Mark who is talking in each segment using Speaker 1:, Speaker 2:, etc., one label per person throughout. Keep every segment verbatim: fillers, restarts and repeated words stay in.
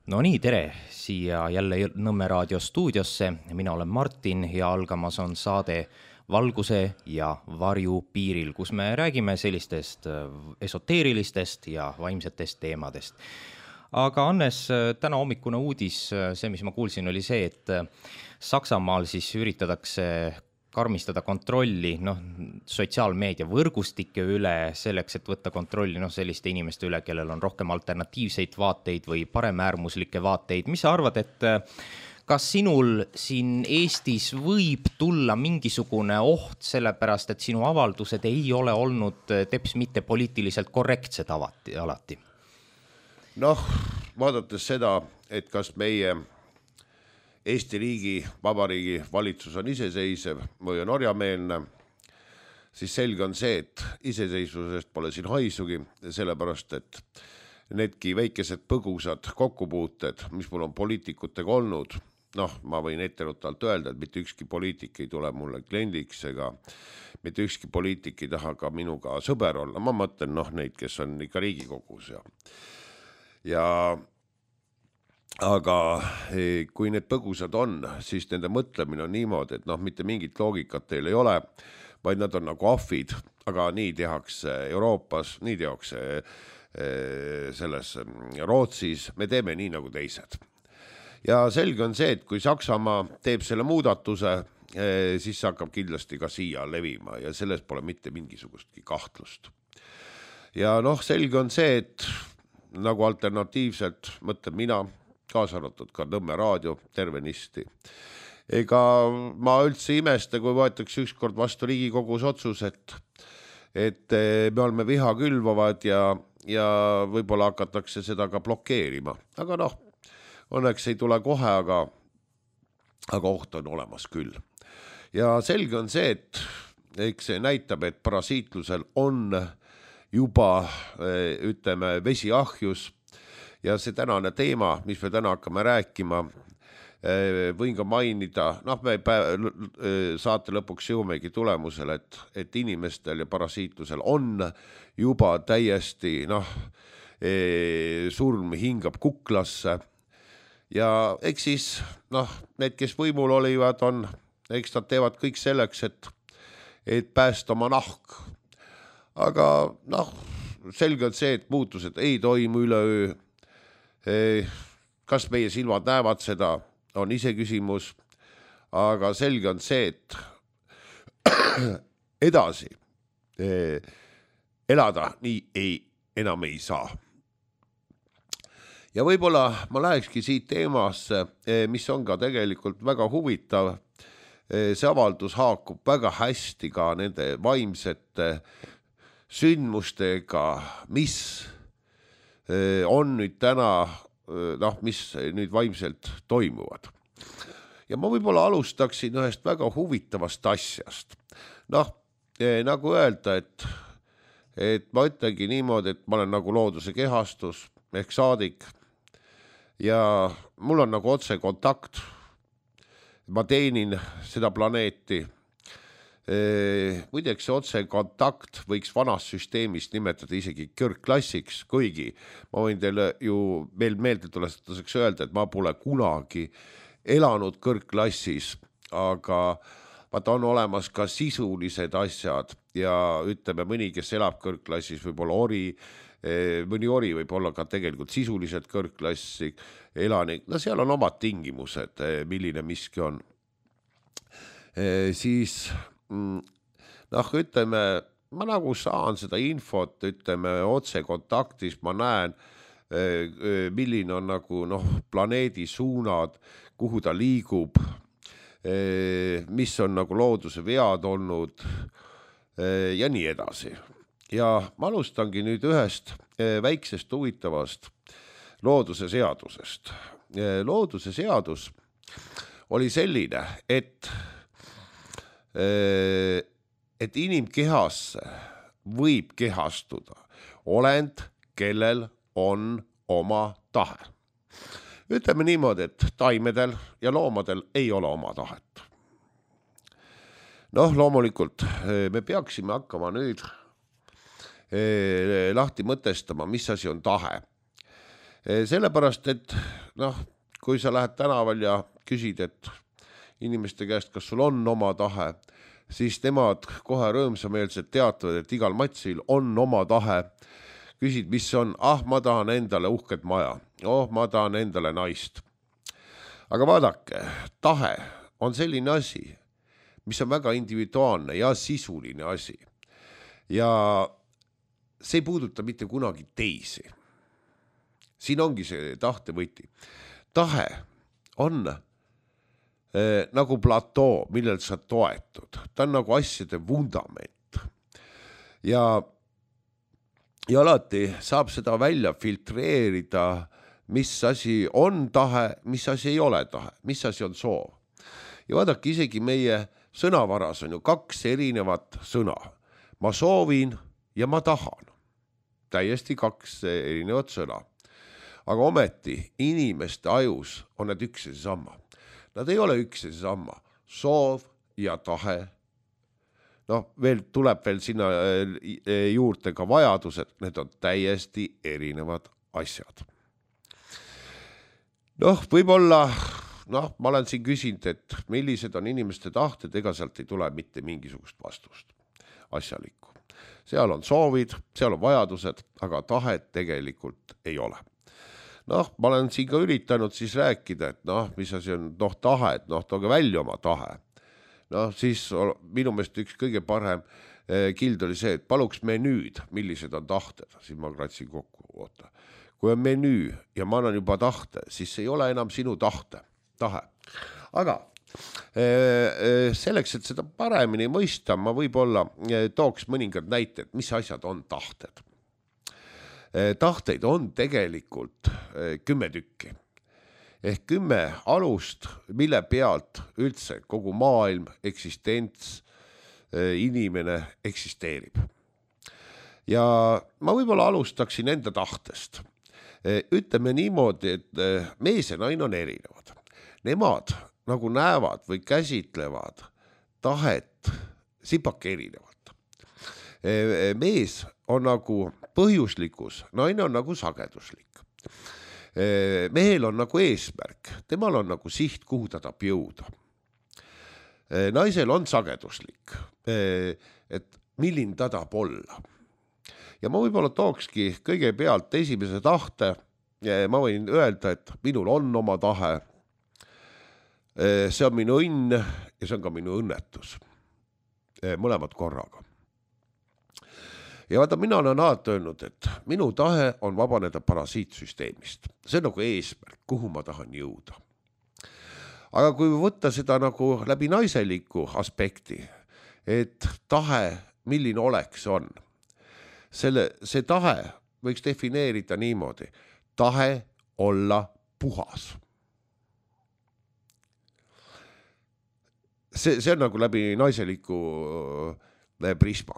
Speaker 1: No nii, tere siia jälle Nõmme raadio stuudiosse. Mina olen Martin ja algamas on saade Valguse ja varju piiril, kus me räägime sellistest esoteerilistest ja vaimsetest teemadest. Aga Annes, täna hommikune uudis, see, mis ma kuulsin, oli see, et Saksamaal siis üritatakse karmistada kontrolli noh, sotsiaalmeedia võrgustike üle selleks, et võtta kontrolli noh, selliste inimeste üle, kellel on rohkem alternatiivseid vaateid või paremäärmuslikke vaateid. Mis sa arvad, et kas sinul siin Eestis võib tulla mingisugune oht sellepärast, et sinu avaldused ei ole olnud teps mitte poliitiliselt korrektsed alati?
Speaker 2: Noh, vaadates seda, et kas meie Eesti riigi, vabariigi valitsus on iseseisev või on orjameelne, siis selge on see, et iseseisvusest pole siin haisugi, sellepärast, et needki väikesed põgusad kokkupuuted, mis mul on poliitikutega olnud, noh, ma võin etterutalt öelda, et mitte ükski poliitik ei tule mulle kliendiks ega mitte ükski poliitik ei taha ka minuga sõber olla. Ma mõtlen noh, neid, kes on ikka Riigikogus ja, ja aga kui need põgusad on, siis nende mõtlemine on niimoodi, et noh, mitte mingit loogikat teil ei ole, vaid nad on nagu ahvid, aga nii tehakse Euroopas, nii tehakse selles Rootsis, me teeme nii nagu teised. Ja selge on see, et kui Saksamaa teeb selle muudatuse, siis hakkab kindlasti ka siia levima ja selles pole mitte mingisugustki kahtlust. Ja noh, selge on see, et nagu alternatiivselt mõtleb mina, kaasa arvatud ka Nõmme raadio tervenisti. Ega ma üldse imesta, kui võetakse ükskord vastu Riigikogus otsus, et, et me oleme viha külvavad ja, ja võib-olla hakatakse seda ka blokeerima. Aga noh, õnneks ei tule kohe, aga, aga oht on olemas küll. Ja selge on see, et eks see näitab, et parasiitlusel on juba, ütleme, vesiahjus. Ja see tänane teema, mis me täna hakkame rääkima, võin ka mainida, noh, me saate lõpuks jõumegi tulemusele, et, et inimestel ja parasiitlusel on juba täiesti, noh, surm hingab kuklasse ja eks siis, noh, need, kes võimul olivad, on, eks nad teevad kõik selleks, et, et päästa oma nahk. Aga, noh, selge on see, et muutused ei toimu üleöö. Kas meie silmad näevad seda, on ise küsimus, aga selge on see, et edasi elada nii ei, enam ei saa. Ja võib-olla ma lähekski siit teemasse, mis on ka tegelikult väga huvitav. See avaldus haakub väga hästi ka nende vaimsete sündmustega, mis on nüüd täna, noh, mis nüüd vaimselt toimuvad. Ja ma võib-olla alustaksin ühest väga huvitavast asjast. Noh, nagu öelda, et, et ma ütlengi niimoodi, et ma olen nagu looduse kehastus, ehk saadik, ja mul on nagu otse kontakt. Ma teenin seda planeeti. Muideks see otse kontakt võiks vanas süsteemist nimetada isegi kõrgklassiks, kuigi ma võin teile ju veel meelde tuletuseks öelda, et ma pole kunagi elanud kõrgklassis, aga vaata on olemas ka sisulised asjad ja ütleme mõni, kes elab kõrgklassis, võib-olla ori, mõni ori võib olla ka tegelikult sisuliselt kõrgklassi elanik, no seal on omad tingimused, milline miski on. Siis noh, ütleme, ma nagu saan seda infot, ütleme, otse kontaktis, ma näen, milline on nagu, noh, planeedi suunad, kuhu ta liigub, mis on nagu looduse vead olnud ja nii edasi. Ja ma alustangi nüüd ühest väiksest huvitavast looduse seadusest. Looduse seadus oli selline, et et inimkehasse võib kehastuda olend, kellel on oma tahe. Ütleme niimoodi, et taimedel ja loomadel ei ole oma tahet. Noh, loomulikult me peaksime hakkama nüüd lahti mõtestama, mis asi on tahe. Sellepärast, et noh, kui sa lähed tänaval ja küsid, et inimeste käest, kas sul on oma tahe, siis nemad kohe rõõmsameelselt teatavad, et igal matsil on oma tahe. Küsid, mis on, ah, ma tahan endale uhket maja, oh, ma tahan endale naist. Aga vaadake, tahe on selline asi, mis on väga individuaalne ja sisuline asi. Ja see ei puuduta mitte kunagi teisi. Siin ongi see tahtevõti. Tahe on eh, nagu platoo, millel sa toetud. Ta on nagu asjade vundament. Ja, ja alati saab seda välja filtreerida, mis asi on tahe, mis asi ei ole tahe, mis asi on soov. Ja vaadake, isegi meie sõnavaras on ju kaks erinevat sõna. Ma soovin ja ma tahan. Täiesti kaks erinevat sõna. Aga ometi inimeste ajus on need üks ja seesama. Nad ei ole üks ja seesama. Soov ja tahe. Noh, veel tuleb veel sinna juurde ka vajadused. Need on täiesti erinevad asjad. Noh, võib-olla, noh, ma olen siin küsinud, et millised on inimeste tahted, ega sealt ei tule mitte mingisugust vastust asjalikku. Seal on soovid, seal on vajadused, aga tahet tegelikult ei ole. Noh, ma olen siin ka üritanud siis rääkida, et noh, mis asi on noh, tahe, et noh, tooge välja oma tahe. Noh, siis minu meelest üks kõige parem kild oli see, et paluks menüüd, millised on tahted. Siis ma kratsin kokku, oota. Kui on menüü ja ma annan juba tahte, siis ei ole enam sinu tahte, tahe. Aga selleks, et seda paremini mõista, ma võib-olla tooks mõningad näited, mis asjad on tahted. Tahteid on tegelikult kümme tükki. Ehk kümme alust, mille pealt üldse kogu maailm, eksistents, inimene eksisteerib. Ja ma võib-olla alustaksin enda tahtest. Ütleme niimoodi, et mees ja naine on erinevad. Nemad nagu näevad või käsitlevad tahet sipake erinevalt. Mees on nagu põhjuslikkus, naine on nagu sageduslik. Mehel on nagu eesmärk, temal on nagu siht, kuhu ta tahab jõuda. Naisel on sageduslik, et milline ta tahab olla. Ja ma võib-olla tookski kõigepealt esimese tahte, ma võin öelda, et minul on oma tahe, see on minu õnn ja see on ka minu õnnetus, mõlemad korraga. Ja vaata, mina olen alati öelnud, et minu tahe on vabaneda parasiitsüsteemist. See on nagu eesmärk, kuhu ma tahan jõuda. Aga kui võtta seda nagu läbi naiseliku aspekti, et tahe, milline oleks on, selle, see tahe võiks defineerida niimoodi, tahe olla puhas. See, see on nagu läbi naiseliku prisma.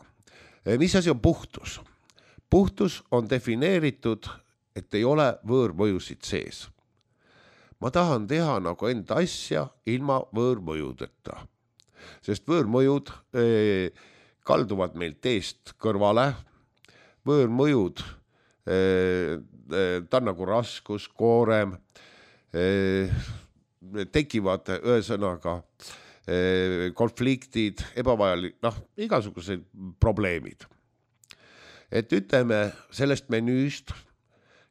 Speaker 2: Mis asi on puhtus? Puhtus on defineeritud, et ei ole võõrmõjusid sees. Ma tahan teha nagu enda asja ilma võõrmõjudeta. Sest võõrmõjud eh, kalduvad meil teest kõrvale. Võõrmõjud, eh, ta on nagu raskus, koorem, eh, tekivad ühesõnaga konfliktid, ebavajalik, noh, igasugused probleemid. Et ütleme, sellest menüüst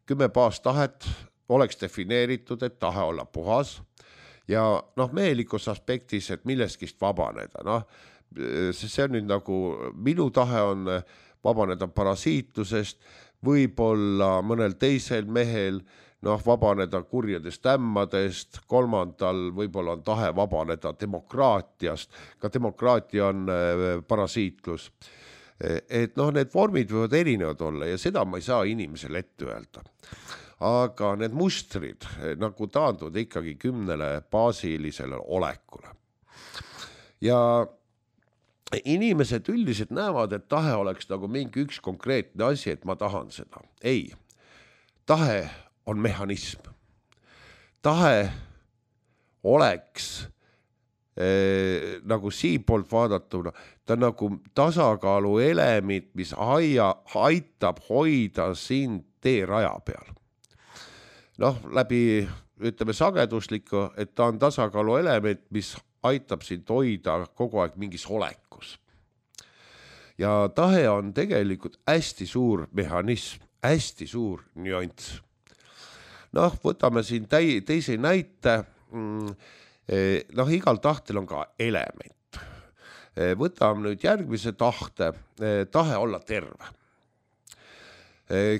Speaker 2: kümme baastahet oleks defineeritud, et tahe olla puhas ja noh, mehelikus aspektis, et milleskist vabaneda. Noh, see on nüüd nagu, minu tahe on vabaneda parasiitusest, võib-olla mõnel teisel mehel noh, vabaneda kurjadest ämmadest, kolmandal võib-olla on tahe vabaneda demokraatiast, ka demokraatia on parasiitlus. Et noh, need vormid võivad erinevad olla ja seda ma ei saa inimesele ette öelda. Aga need mustrid nagu taanduvad ikkagi kümnele baasilisele olekule. Ja inimesed üldiselt näevad, et tahe oleks nagu mingi üks konkreetne asi, et ma tahan seda. Ei, tahe on mehhanism. Tahe oleks eh, nagu siin poolt vaadatuna, ta on nagu tasakaalu element, mis aia, aitab hoida sind tee raja peal. noh, läbi ütleme sageduslikku, et ta on tasakaalu element, mis aitab sind hoida kogu aeg mingis olekus. Ja tahe on tegelikult hästi suur mehhanism, hästi suur nüanss. Noh, võtame siin täi, teise näite, noh, igal tahtel on ka element. Võtame nüüd järgmise tahte, tahe olla terve.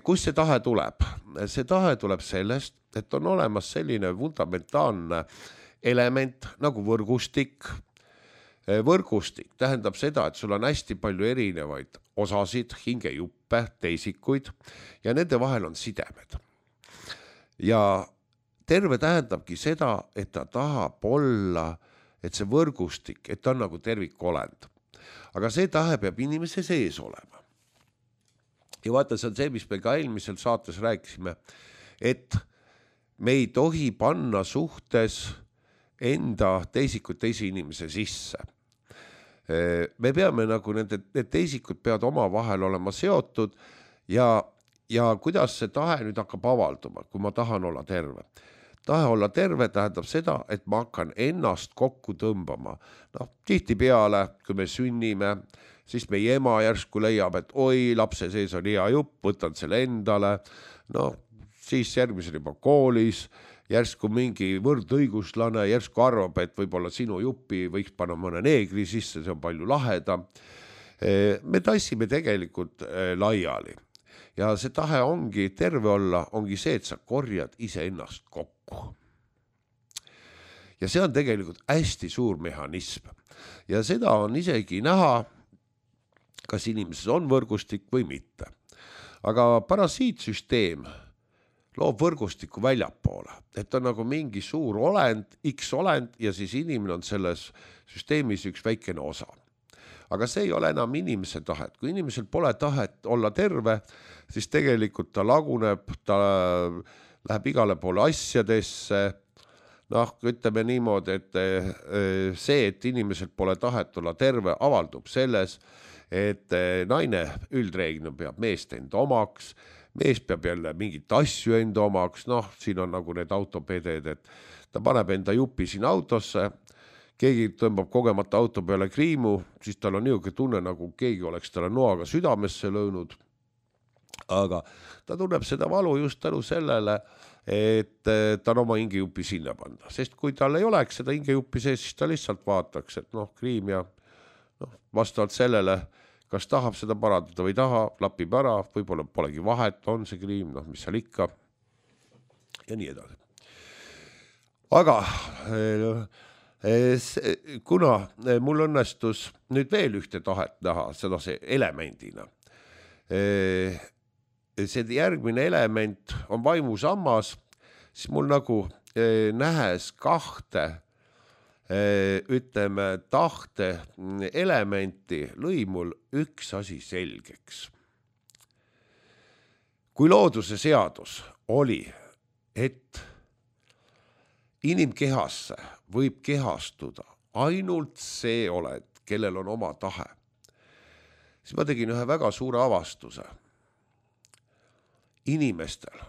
Speaker 2: Kus see tahe tuleb? See tahe tuleb sellest, et on olemas selline fundamentaalne element nagu võrgustik. Võrgustik tähendab seda, et sul on hästi palju erinevaid osasid, hingejuppe, teisikuid ja nende vahel on sidemed. Ja terve tähendabki seda, et ta tahab olla, et see võrgustik, et ta on nagu tervikolend. Aga see tahe peab inimese sees olema. Ja vaata, see on see, mis me ka eelmisel saates rääkisime, et me ei tohi panna suhtes enda teisikut teise inimese sisse. Me peame nagu nende, need teisikud peavad oma vahel olema seotud ja, ja kuidas see tahe nüüd hakkab avalduma, kui ma tahan olla terve. Tahe olla terve tähendab seda, et ma hakkan ennast kokku tõmbama. Noh, tihti peale, kui me sünnime, siis meie ema järsku leiab, et oi, lapse sees on hea jupp, võtan selle endale. No, siis järgmisel juba koolis, järsku mingi võrdõiguslane, järsku arvab, et võib-olla sinu juppi võiks panna mõne neegri sisse, see on palju lahedam. Me tassime tegelikult laiali. Ja see tahe ongi terve olla, ongi see, et sa korjad ise ennast kokku. Ja see on tegelikult hästi suur mehhanism. Ja seda on isegi näha, kas inimeses on võrgustik või mitte. Aga parasiitsüsteem loob võrgustiku väljapoole, et on nagu mingi suur olend, X olend ja siis inimene on selles süsteemis üks väikene osa. Aga see ei ole enam inimese tahet. Kui inimesel pole tahet olla terve, siis tegelikult ta laguneb, ta läheb igale poole asjadesse. Noh, ütleme niimoodi, et see, et inimesel pole tahet olla terve, avaldub selles, et naine üldreeglina peab meest enda omaks, mees peab jälle mingit asju enda omaks, noh, siin on nagu need autopeded, et ta paneb enda jupi siin autosse, keegi tõmbab kogemata auto peale kriimu, siis tal on niisugune tunne, nagu keegi oleks talle noaga südamesse löönud, aga ta tunneb seda valu just tänu sellele, et ta on oma hingejupi sinna panna, sest kui tal ei oleks seda hingejupi sees, siis ta lihtsalt vaataks, et noh, kriim ja noh, vastavalt sellele, kas tahab seda parandada või taha, lapib ära, võib-olla polegi vahet, on see kriim, noh, mis seal ikka ja nii edasi. Aga kuna mul õnnestus nüüd veel ühte tahet näha, seda see elemendina, see järgmine element on vaimusammas, siis mul nagu nähes kahte ütleme tahte elementi lõi mul üks asi selgeks. Kui looduse seadus oli, et inimkehasse võib kehastuda ainult see oled, kellel on oma tahe, siis ma tegin ühe väga suure avastuse. Inimestel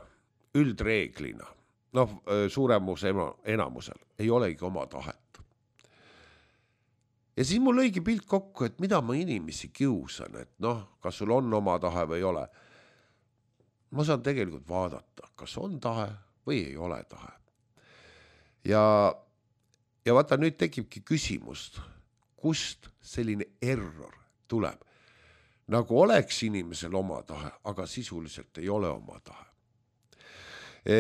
Speaker 2: üldreeglina, noh, suuremus enamusel ei olegi oma tahet. Ja siis mul lõigi pilt kokku, et mida ma inimesi kiusan, et noh, kas sul on oma tahe või ei ole. Ma saan tegelikult vaadata, kas on tahe või ei ole tahe. Ja, ja vaata, nüüd tekibki küsimust, kust selline error tuleb. Nagu oleks inimesel oma tahe, aga sisuliselt ei ole oma tahe. E,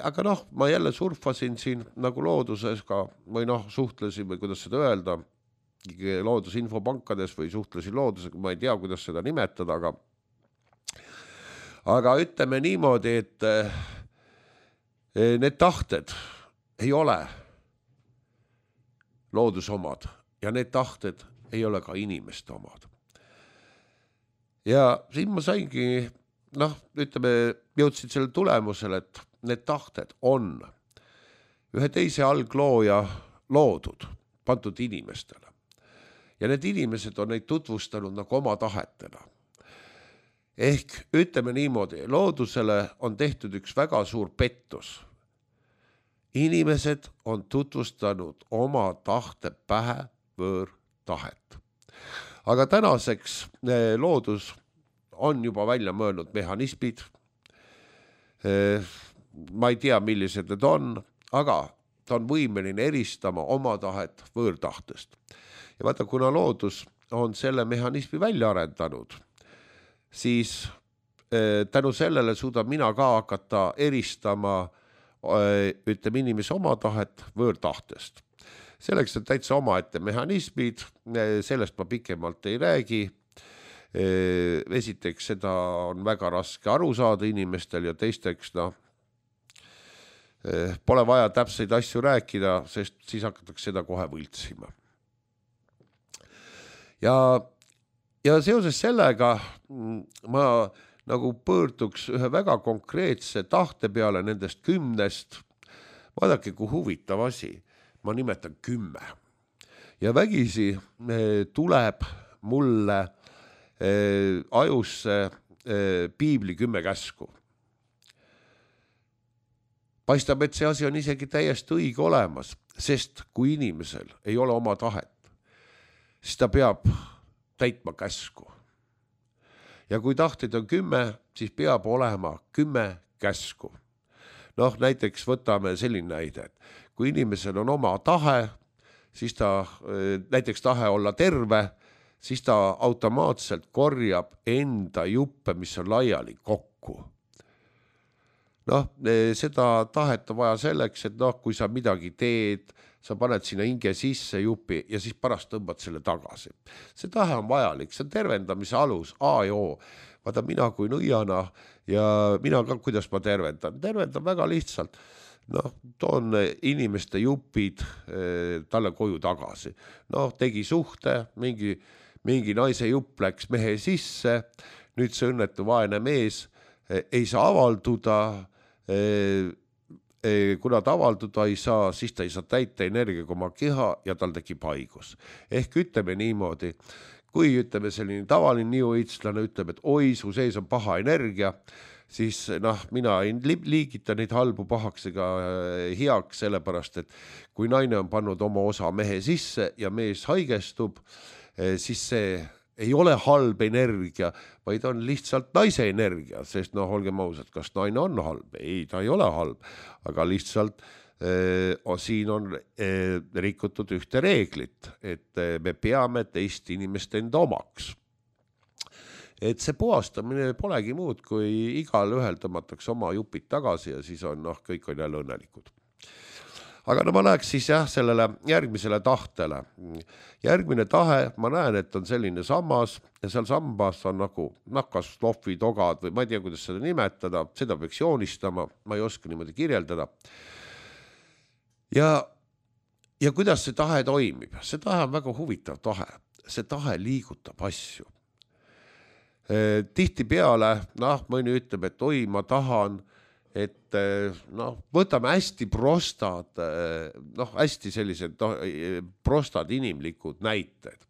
Speaker 2: aga noh, ma jälle surfasin siin nagu looduses ka, või noh, suhtlesin või kuidas seda öelda, loodusinfopankades või suhtlesin loodusega, ma ei tea, kuidas seda nimetada, aga aga ütleme niimoodi, et need tahted ei ole looduse omad ja need tahted ei ole ka inimeste omad. Ja siin ma saingi, noh, ütleme, jõudsid selle tulemusele, et need tahted on ühe teise alglooja loodud, pandud inimestele. Ja need inimesed on neid tutvustanud nagu oma tahetena. Ehk ütleme niimoodi, loodusele on tehtud üks väga suur pettus, inimesed on tutvustanud oma tahte pähe võõrtahet. Aga tänaseks loodus on juba välja mõelnud mehhanismid. Ma ei tea, millised need on, aga ta on võimeline eristama oma tahet võõrtahtest. Ja vaata, kuna loodus on selle mehhanismi välja arendanud, siis tänu sellele suudab mina ka hakata eristama ütleme inimese oma tahet võõrtahtest. Selleks on täitsa omaette mehhanismid, sellest ma pikemalt ei räägi. Esiteks, seda on väga raske aru saada inimestel ja teisteks, noh, pole vaja täpseid asju rääkida, sest siis hakatakse seda kohe võltsima. Ja, ja seoses sellega ma nagu pöörduks ühe väga konkreetse tahte peale nendest kümnest. Vaadake, kui huvitav asi. Ma nimetan kümme. Ja vägisi tuleb mulle ajusse piibli kümme käsku. Paistab, et see asi on isegi täiesti õige olemas, sest kui inimesel ei ole oma tahet, siis ta peab täitma käsku. Ja kui tahteid on kümme, siis peab olema kümme käsku. Noh, näiteks võtame selline näide, et kui inimesel on oma tahe, siis ta, näiteks tahe olla terve, siis ta automaatselt korjab enda juppe, mis on laiali kokku. Noh, seda tahet on vaja selleks, et noh, kui sa midagi teed, sa paned sinna hinge sisse jupi ja siis pärast tõmbad selle tagasi. See tahe on vajalik, see on tervendamise alus, A ja O. Vaata, mina kui nõiana ja mina ka, kuidas ma tervendan. Tervendan väga lihtsalt. Noh, toon inimeste jupid eh, talle koju tagasi. Noh, tegi suhte, mingi, mingi naise jupp läks mehe sisse, nüüd see õnnetu vaene mees eh, ei saa avalduda, eh, kuna ta avalduda ei saa, siis ta ei saa täita energiaga oma keha ja tal tekib haigus. Ehk ütleme niimoodi, kui ütleme selline tavaline niuõitslane ütleb, et oi, su sees on paha energia, siis noh, mina ei liigita neid halbu pahaks ega heaks, sellepärast, et kui naine on pannud oma osa mehe sisse ja mees haigestub, siis see ei ole halb energia, vaid on lihtsalt naise energia, sest noh, olgem ausad, kas naine on halb? Ei, ta ei ole halb, aga lihtsalt eh, siin on eh, rikutud ühte reeglit, et eh, me peame teist inimest enda omaks. Et see puhastamine polegi muud, kui igal ühel tõmmatakse oma jupid tagasi ja siis on, noh, kõik on jälle õnnelikud. Aga no ma läheks siis jah, sellele järgmisele tahtele. Järgmine tahe, ma näen, et on selline sammas ja seal sambas on nagu nakas, lohvi, togad või ma ei tea, kuidas seda nimetada, seda peaks joonistama, ma ei oska niimoodi kirjeldada. Ja, ja kuidas see tahe toimib? See tahe on väga huvitav tahe. See tahe liigutab asju. Tihti peale, noh, mõni ütleb, et oi, ma tahan, et noh, võtame hästi prostad, noh, hästi sellised no, prostad inimlikud näited.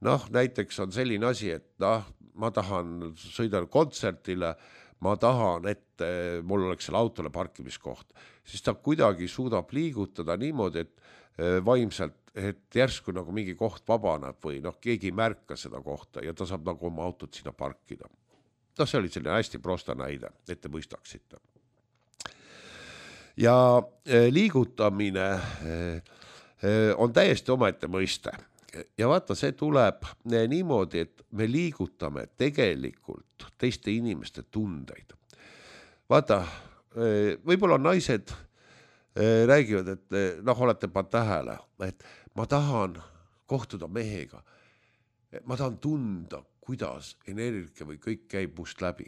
Speaker 2: Noh, näiteks on selline asi, et noh, ma tahan sõida kontsertile, ma tahan, et mul oleks seal autole parkimiskoht. Siis ta kuidagi suudab liigutada niimoodi, et vaimselt, et järsku nagu mingi koht vabaneb või noh, keegi ei märka seda kohta ja ta saab nagu oma autot sinna parkida. No see oli selline hästi prosta näide, et te mõistaksite. Ja liigutamine on täiesti omaette mõiste. Ja vaata, see tuleb niimoodi, et me liigutame tegelikult teiste inimeste tundeid. Vaata, võib-olla naised räägivad, et noh, olete pa tähele, et ma tahan kohtuda mehega. Ma tahan tunda, kuidas energia või kõik käib must läbi.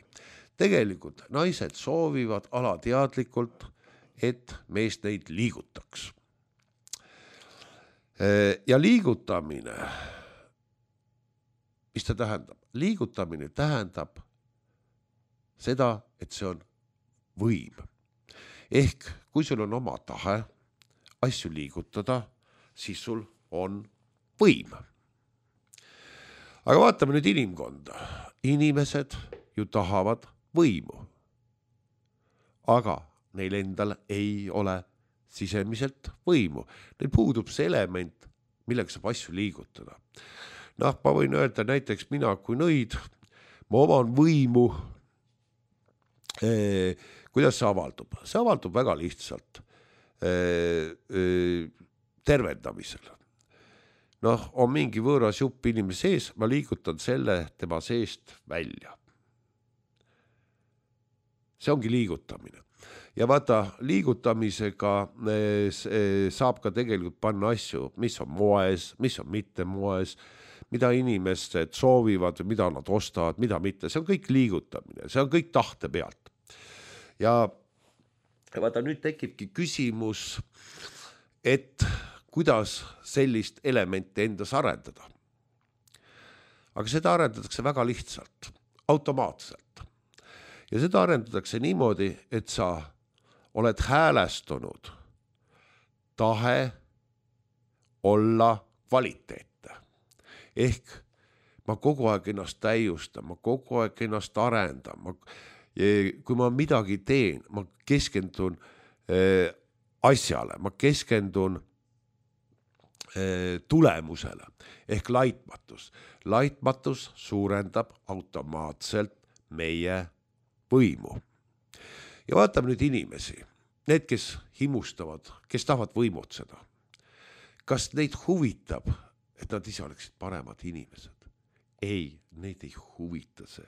Speaker 2: Tegelikult naised soovivad alateadlikult, et mees neid liigutaks. Ja liigutamine, mis ta tähendab? Liigutamine tähendab seda, et see on võim. Ehk kui sul on oma tahe asju liigutada, siis sul on võim. Aga vaatame nüüd inimkonda. Inimesed ju tahavad võimu. Aga neil endal ei ole sisemiselt võimu. Neil puudub see element, millega saab asju liigutada. Noh, ma võin öelda näiteks mina kui nõid, ma oman võimu, eh, kuidas see avaldub? See avaldub väga lihtsalt eh, eh, tervendamisel. Noh, on mingi võõras jupp inimese sees, ma liigutan selle tema seest välja. See ongi liigutamine. Ja vaata, liigutamisega saab ka tegelikult panna asju, mis on moes, mis on mitte moes, mida inimesed soovivad, mida nad ostavad, mida mitte. See on kõik liigutamine, see on kõik tahte pealt. Ja vaata, nüüd tekibki küsimus, et kuidas sellist elementi endas arendada. Aga seda arendatakse väga lihtsalt, automaatselt. Ja seda arendatakse niimoodi, et sa oled häälestunud tahe olla kvaliteetne. Ehk ma kogu aeg ennast täiustan, ma kogu aeg ennast arendan. Ma, kui ma midagi teen, ma keskendun äh, asjale, ma keskendun äh, tulemusele ehk laitmatus. Laitmatus suurendab automaatselt meie võimu. Ja vaatame nüüd inimesi, need, kes himustavad, kes tahavad võimutseda. Kas neid huvitab, et nad ise oleksid paremad inimesed? Ei, neid ei huvita see.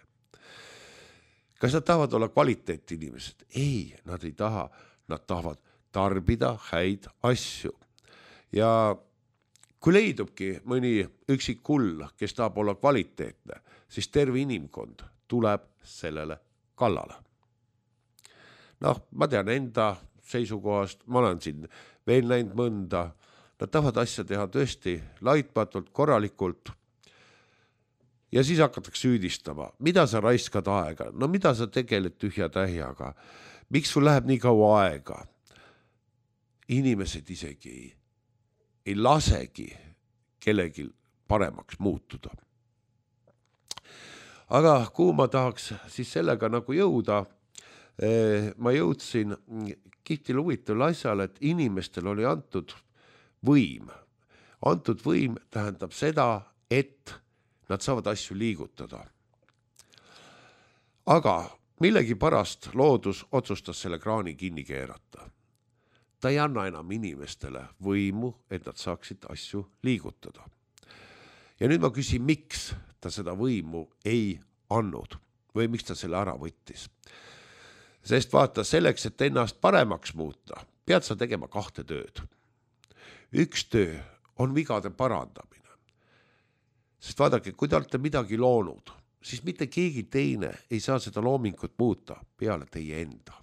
Speaker 2: Kas nad tahavad olla kvaliteet inimesed? Ei, nad ei taha. Nad tahavad tarbida häid asju. Ja kui leidubki mõni üksik kull, kes tahab olla kvaliteetne, siis terve inimkond tuleb sellele kallale. Noh, ma tean enda seisukohast, ma olen siin veel näinud mõnda, nad tahavad asja teha tõesti laitmatult, korralikult ja siis hakatakse süüdistama, mida sa raiskad aega, no mida sa tegeled tühja tähjaga, miks sul läheb nii kaua aega. Inimesed isegi ei, ei lasegi kellegi paremaks muutuda. Aga kuhu ma tahaks siis sellega nagu jõuda, ma jõudsin kihtil huvitaval asjal, et inimestel oli antud võim. Antud võim tähendab seda, et nad saavad asju liigutada. Aga millegi pärast loodus otsustas selle kraani kinni keerata. Ta ei anna enam inimestele võimu, et nad saaksid asju liigutada. Ja nüüd ma küsin, miks ta seda võimu ei andnud või miks ta selle ära võttis. Sest vaata, selleks, et ennast paremaks muuta, pead sa tegema kahte tööd. Üks töö on vigade parandamine. Sest vaadake, kui te olete midagi loonud, siis mitte keegi teine ei saa seda loomingut muuta peale teie enda.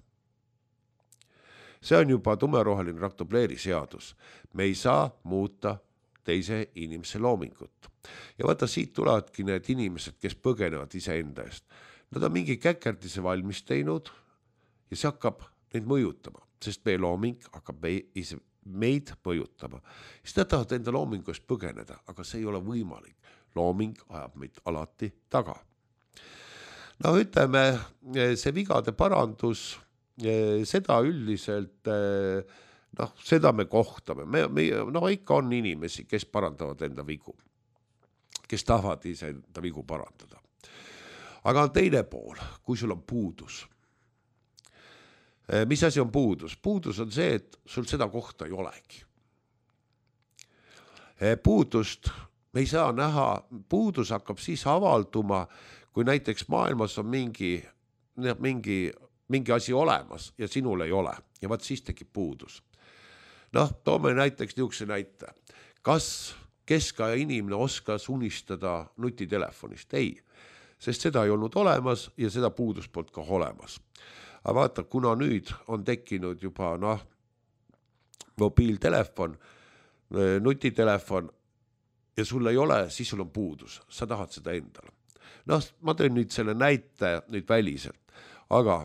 Speaker 2: See on juba tumeroheline raktobleeri seadus. Me ei saa muuta teise inimese loomingut. Ja vaata, siit tulevadki need inimesed, kes põgenevad ise enda eest. Nad on mingi käkerdise valmis teinud ja see hakkab neid mõjutama, sest meie looming hakkab meid mõjutama. Siis nad tahavad enda loomingust põgeneda, aga see ei ole võimalik. Looming ajab meid alati taga. No ütleme, see vigade parandus, seda üldiselt, noh, seda me kohtame. Me, me, no ikka on inimesi, kes parandavad enda vigu, kes tahavad ise enda vigu parandada. Aga on teine pool, kui sul on puudus. Mis asi on puudus? Puudus on see, et sul seda kohta ei olegi. Puudust me ei saa näha, puudus hakkab siis avalduma, kui näiteks maailmas on mingi, mingi, mingi asi olemas ja sinul ei ole. Ja vaat siis tekib puudus. Noh, toome näiteks niisuguse näite. Kas keskaja inimene oskas unistada nutitelefonist? Ei, sest seda ei olnud olemas ja seda puudus polnud ka olemas. Aga vaata, kuna nüüd on tekkinud juba noh, mobiiltelefon, nutitelefon ja sul ei ole, siis sul on puudus. Sa tahad seda endale. Noh, ma teen nüüd selle näite nüüd väliselt, aga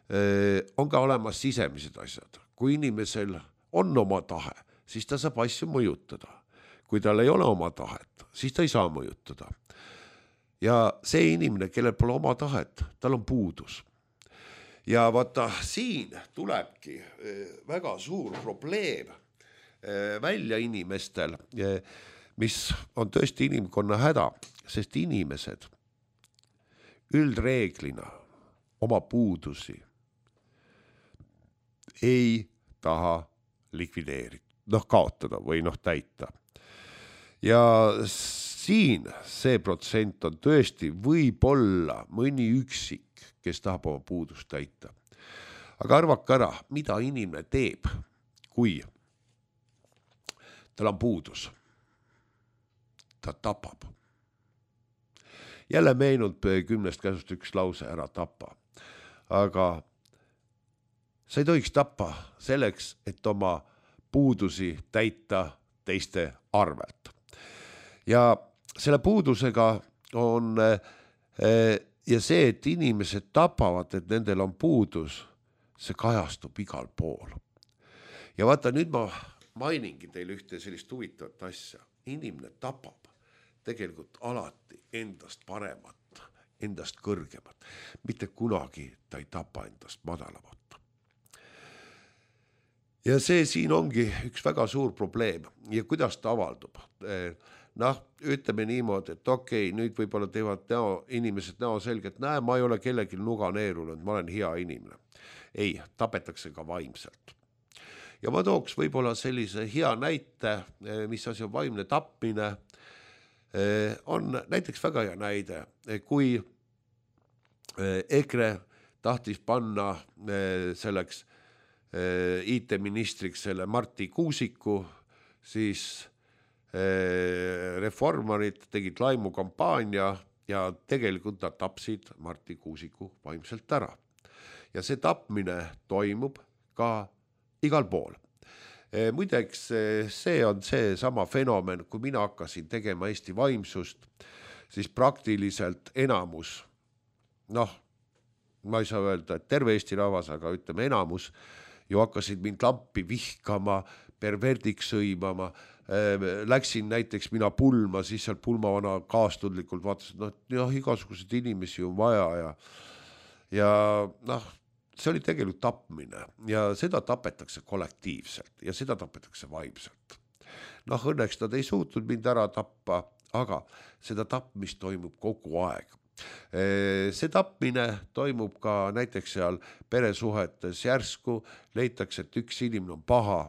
Speaker 2: eh, on ka olemas sisemised asjad. Kui inimesel on oma tahe, siis ta saab asju mõjutada. Kui tal ei ole oma tahet, siis ta ei saa mõjutada. Ja see inimene, kellel pole oma tahet, tal on puudus. ja vaata, siin tulebki väga suur probleem välja inimestel, mis on tõesti inimkonna häda, sest inimesed üldreeglina oma puudusi ei taha likvideerida, noh kaotada või noh täita. Ja siin see protsent on tõesti võib-olla mõni üksik, kes tahab oma puudust täita. Aga arvake ära, mida inimene teeb, kui tal on puudus. Ta tapab. Jälle meenub kümnest käsust üks lause, ära tapa. Aga sa ei tohiks tappa selleks, et oma puudusi täita teiste arvelt. Ja selle puudusega on ja see, et inimesed tapavad, et nendel on puudus, see kajastub igal pool. Ja vaata, nüüd ma mainingi teile ühte sellist huvitavat asja. Inimene tapab tegelikult alati endast paremat, endast kõrgemat. Mitte kunagi ta ei tapa endast madalamat. Ja see siin ongi üks väga suur probleem. Ja kuidas ta avaldub? Noh, ütleme niimoodi, et okei, okay, nüüd võib-olla teevad näo, inimesed näo selgelt, näe, ma ei ole kellelgi nuga neerunud, ma olen hea inimene. Ei, tapetakse ka vaimselt. Ja ma tooks võib-olla sellise hea näite, mis asi on vaimne tapmine, on näiteks väga hea näide, kui EKRE tahtis panna selleks I T-ministriks selle Marti Kuusiku, siis reformarid tegid laimukampaania ja tegelikult nad tapsid Marti Kuusiku vaimselt ära. Ja see tapmine toimub ka igal pool. Muideks see on see sama fenomen, kui mina hakkasin tegema Eesti vaimsust, siis praktiliselt enamus, noh, ma ei saa öelda, et terve Eesti rahvas, aga ütleme enamus, ju hakkasid mind lampi vihkama, perverdiks sõimama, läksin näiteks mina pulma, siis seal pulmavana kaastudlikult vaatasid, noh, jah, igasugused inimesi on vaja ja, ja noh, see oli tegelikult tapmine ja seda tapetakse kollektiivselt ja seda tapetakse vaimselt. Noh, õnneks nad ei suutnud mind ära tappa, aga seda tapmist toimub kogu aeg. See tapmine toimub ka näiteks seal peresuhetes järsku, leitakse, et üks inimene on paha,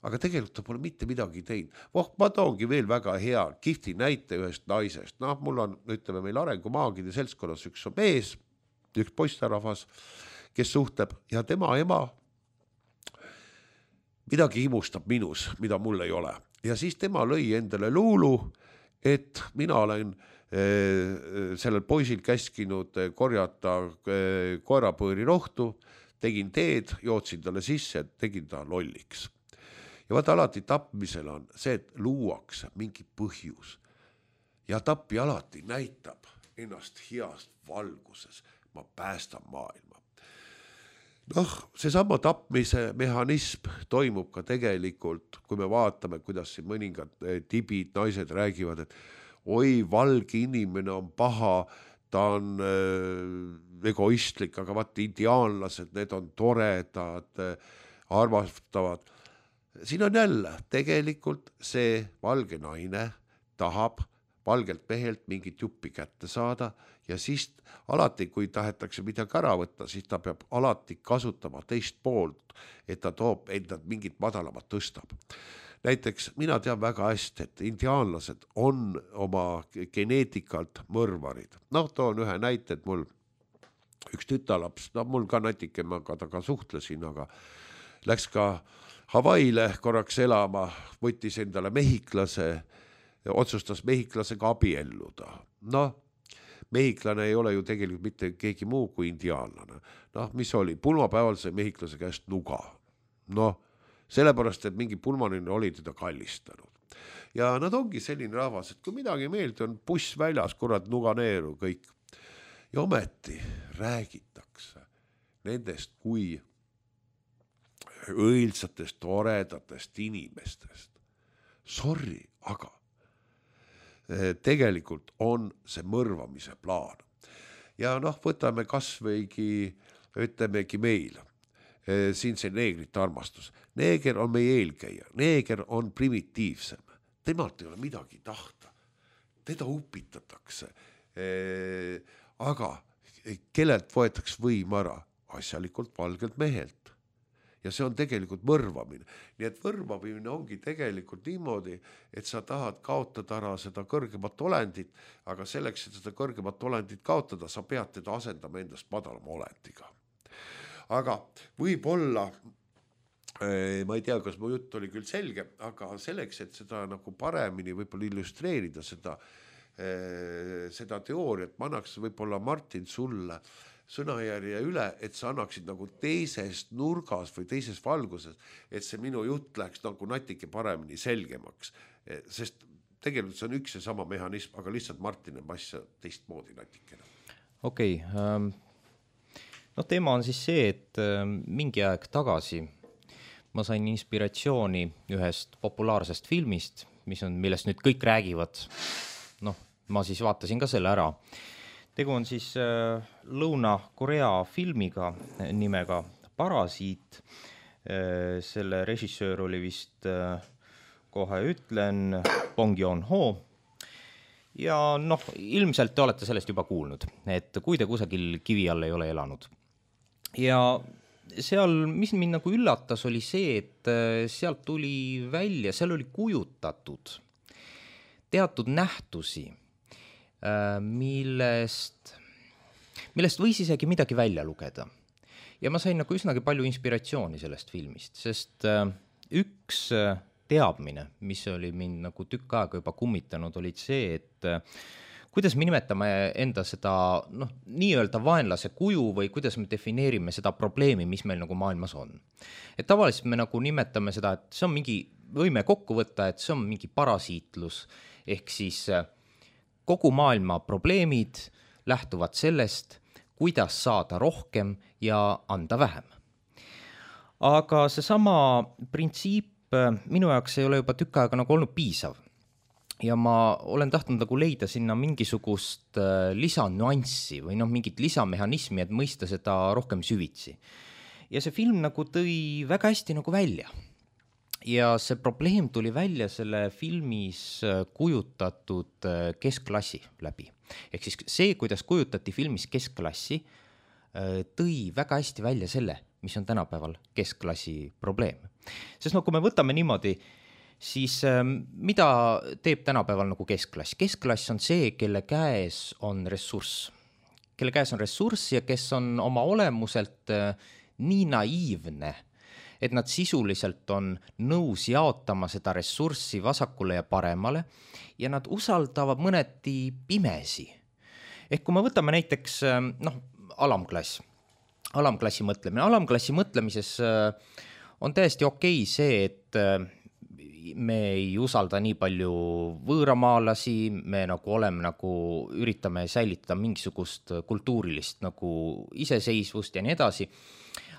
Speaker 2: aga tegelikult ta pole mitte midagi teinud. Voh, ma toongi veel väga hea kihvti näite ühest naisest. Noh, mul on, ütleme meil arengumaagide seltskonnas üks on mees, üks poisterahvas, kes suhtleb ja tema ema midagi imustab minus, mida mul ei ole. Ja siis tema lõi endale luulu, et mina olen eh, sellel poisil käskinud korjata eh, koerapõõri rohtu, tegin teed, jootsin talle sisse, tegin ta lolliks. Ja vaata alati tapmisel on see, et luuakse mingi põhjus ja tappi alati näitab ennast heast valguses, ma päästan maailma. Noh, seesama tapmise mehhanism toimub ka tegelikult, kui me vaatame, kuidas siin mõningad tibid, naised räägivad, et oi, valge inimene on paha, ta on äh, egoistlik, aga vaat indiaanlased, need on toredad, armastavad. Siin on jälle, tegelikult see valge naine tahab valgelt mehelt mingit juppi kätte saada ja siis alati, kui tahetakse midagi ära võtta, siis ta peab alati kasutama teist poolt, et ta toob endad mingit madalamat tõstab. Näiteks mina tean väga hästi, et indiaanlased on oma geneetikalt mõrvarid. Noh, toon ühe näite, et mul üks tütalaps, no mul ka natike, ma ka taga suhtlesin, aga läks ka Havaile korraks elama, võttis endale mehiklase, otsustas mehiklasega abielluda. Noh, mehiklane ei ole ju tegelikult mitte keegi muu kui indiaanlane. Noh, mis oli? Pulmapäeval see mehiklase käest nuga. Noh, sellepärast, et mingi pulmanine oli teda kallistanud. Ja nad ongi selline rahvas, et kui midagi meelde on buss väljas, kurat nuga neeru kõik. Ja ometi räägitakse nendest kui õilsatest, toredatest inimestest. Sorry, aga tegelikult on see mõrvamise plaan. Ja noh, võtame kas võigi ütlemegi meil, siin see neegrite armastus. Neeger on meie eelkäija, neeger on primitiivsem, temalt ei ole midagi tahta, teda upitatakse, aga kellelt võetakse võim ära? Asjalikult valgelt mehelt. Ja see on tegelikult võrvamine. Nii et võrvamine ongi tegelikult niimoodi, et sa tahad kaotada ära seda kõrgemat olendit, aga selleks, et seda kõrgemat olendit kaotada, sa pead teda asendama endast madalama olendiga. Aga võib-olla, ma ei tea, kas mu jutt oli küll selge, aga selleks, et seda nagu paremini võib-olla illustreerida seda, seda teooriat, ma annaks võib-olla Martin sulle sõnajärje üle, et sa annaksid nagu teisest nurgas või teises valguses, et see minu jutt läheks nagu natike paremini selgemaks. Sest tegelikult see on üks ja sama mehhanism, aga lihtsalt Martin on asja teistmoodi natikene.
Speaker 1: Okei, okay, no teema on siis see, et mingi aeg tagasi ma sain inspiratsiooni ühest populaarsest filmist, mis on, millest nüüd kõik räägivad. Noh, ma siis vaatasin ka selle ära. Tegu on siis äh, Lõuna-Korea filmiga nimega Parasiit. Äh, selle režissöör oli vist, äh, kohe ütlen, Bong Joon-ho. Ja noh, ilmselt te olete sellest juba kuulnud, et kui te kusagil kivi all ei ole elanud. Ja seal, mis mind nagu üllatas, oli see, et sealt tuli välja, seal oli kujutatud teatud nähtusi, millest, millest võis isegi midagi välja lugeda. Ja ma sain nagu üsnagi palju inspiratsiooni sellest filmist, sest üks teadmine, mis oli mind nagu tükk aega juba kummitanud, oli see, et kuidas me nimetame enda seda noh, nii-öelda vaenlase kuju või kuidas me defineerime seda probleemi, mis meil nagu maailmas on. Et tavaliselt me nagu nimetame seda, et see on mingi, võime kokku võtta, et see on mingi parasiitlus, ehk siis kogu maailma probleemid lähtuvad sellest, kuidas saada rohkem ja anda vähem. Aga seesama printsiip minu jaoks ei ole juba tükk aega nagu olnud piisav. Ja ma olen tahtnud nagu leida sinna mingisugust lisanüanssi või noh, mingit lisamehhanismi, et mõista seda rohkem süvitsi. Ja see film nagu tõi väga hästi nagu välja. Ja see probleem tuli välja selle filmis kujutatud keskklassi läbi. Ehk siis see, kuidas kujutati filmis keskklassi, tõi väga hästi välja selle, mis on tänapäeval keskklassi probleem. Sest no kui me võtame niimoodi, siis mida teeb tänapäeval nagu keskklass? Keskklass on see, kelle käes on ressurss. Kelle käes on ressurss ja kes on oma olemuselt nii naiivne, et nad sisuliselt on nõus jaotama seda ressurssi vasakule ja paremale ja nad usaldavad mõneti pimesi. Ehk kui me võtame näiteks noh, alamklass, alamklassi mõtlemine. Alamklassi mõtlemises on täiesti okei see, et me ei usalda nii palju võõramaalasi, me nagu oleme nagu üritame säilitada mingisugust kultuurilist nagu iseseisvust ja nii edasi.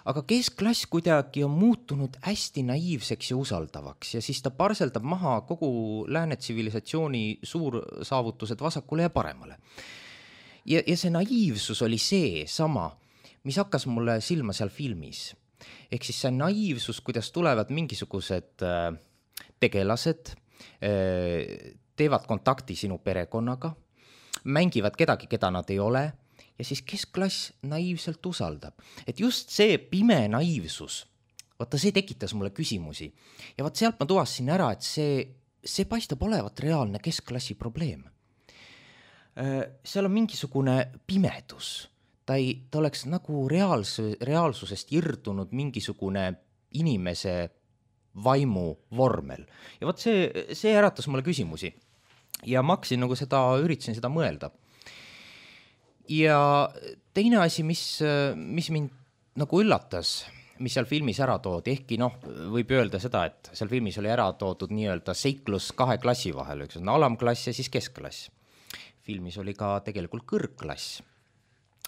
Speaker 1: Aga keskklass kuidagi on muutunud hästi naiivseks ja usaldavaks ja siis ta parseldab maha kogu lääne tsivilisatsiooni suursaavutused vasakule ja paremale. Ja, ja see naiivsus oli see sama, mis hakkas mulle silma seal filmis. Ehk siis see naiivsus, kuidas tulevad mingisugused tegelased, teevad kontakti sinu perekonnaga, mängivad kedagi, keda nad ei ole, ja siis keskklass naiivselt usaldab. Et just see pime naiivsus, vaata see tekitas mulle küsimusi. Ja vaat sealt ma tuvastasin ära, et see, see paistab olevat reaalne keskklassi probleem. Seal on mingisugune pimedus. Ta, ei, ta oleks nagu reaals, reaalsusest irdunud mingisugune inimese vaimu vormel. Ja vaat see, see äratas mulle küsimusi. Ja ma hakkasin nagu seda, üritasin seda mõelda. Ja teine asi, mis, mis mind nagu üllatas, mis seal filmis ära toodi, ehkki noh, võib öelda seda, et seal filmis oli ära toodud nii-öelda seiklus kahe klassi vahel, üks on alamklass ja siis keskklass. Filmis oli ka tegelikult kõrgklass.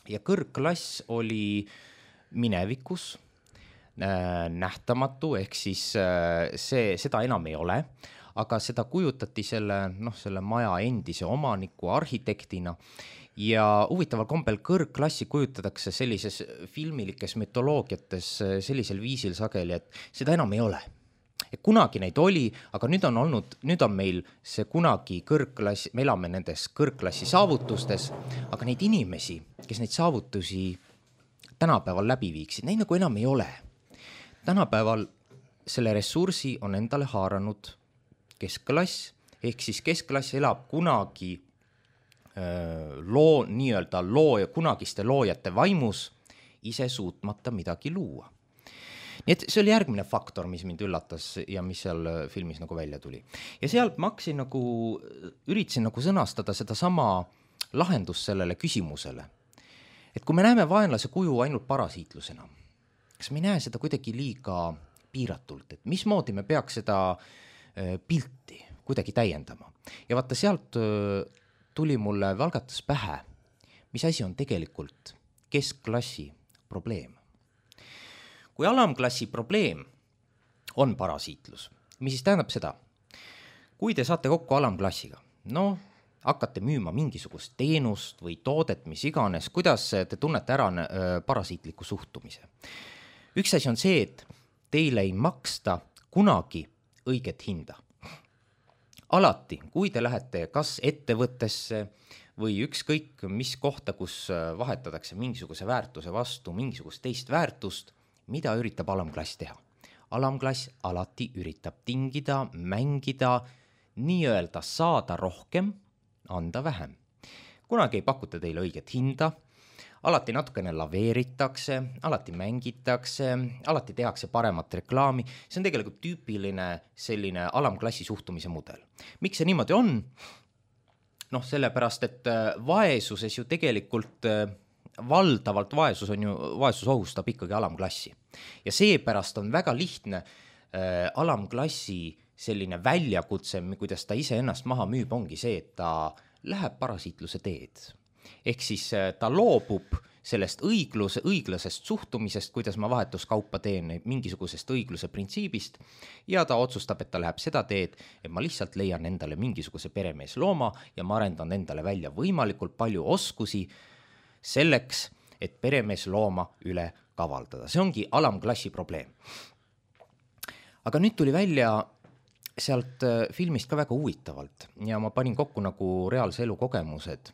Speaker 1: Ja kõrgklass oli minevikus, nähtamatu, ehk siis see, seda enam ei ole, aga seda kujutati selle, noh, selle maja endise omaniku arhitektina ja huvitaval kombel kõrgklassi kujutatakse sellises filmilikes mütoloogiates sellisel viisil sageli, et seda enam ei ole. Et kunagi neid oli, aga nüüd on olnud, nüüd on meil see kunagi kõrgklassi, me elame nendes kõrgklassi saavutustes, aga neid inimesi, kes neid saavutusi tänapäeval läbi viiksid, neid nagu enam ei ole. Tänapäeval selle ressursi on endale haaranud keskklass, ehk siis keskklass elab kunagi öö, loo, nii-öelda loo, kunagiste loojate vaimus, ise suutmata midagi luua. Nii et see oli järgmine faktor, mis mind üllatas ja mis seal filmis nagu välja tuli. Ja sealt ma hakkasin nagu, üritasin nagu sõnastada seda sama lahendust sellele küsimusele. Et kui me näeme vaenlase kuju ainult parasiitlusena, kas me ei näe seda kuidagi liiga piiratult, et mismoodi me peaks seda pilti kuidagi täiendama. Ja vaata, sealt tuli mulle valgatas pähe, mis asi on tegelikult keskklassi probleem. Kui alamklassi probleem on parasiitlus, mis siis tähendab seda, kui te saate kokku alamklassiga, no hakkate müüma mingisugust teenust või toodet, mis iganes, kuidas te tunnete ära parasiitliku suhtumise. Üks asi on see, et teile ei maksta kunagi õiget hinda. Alati, kui te lähete kas ettevõttesse või ükskõik mis kohta, kus vahetatakse mingisuguse väärtuse vastu, mingisugust teist väärtust, mida üritab alamklass teha? Alamklass alati üritab tingida, mängida, nii-öelda saada rohkem, anda vähem. Kunagi ei pakuta teile õiget hinda, alati natukene laveeritakse, alati mängitakse, alati tehakse paremat reklaami. See on tegelikult tüüpiline selline alamklassi suhtumise mudel. Miks see niimoodi on? Noh, sellepärast, et vaesuses ju tegelikult valdavalt vaesus on ju, vaesus ohustab ikkagi alamklassi. Ja seepärast on väga lihtne äh, alamklassi selline väljakutse, kuidas ta ise ennast maha müüb, ongi see, et ta läheb parasiitluse teed. Ehk siis äh, ta loobub sellest õigluse, õiglasest suhtumisest, kuidas ma vahetuskaupa teen mingisugusest õigluse printsiibist ja ta otsustab, et ta läheb seda teed, et ma lihtsalt leian endale mingisuguse peremees looma ja ma arendan endale välja võimalikult palju oskusi selleks, et peremees looma üle kavaldada. See ongi alamklassi probleem. Aga nüüd tuli välja sealt filmist ka väga huvitavalt ja ma panin kokku nagu reaalse elu kogemused.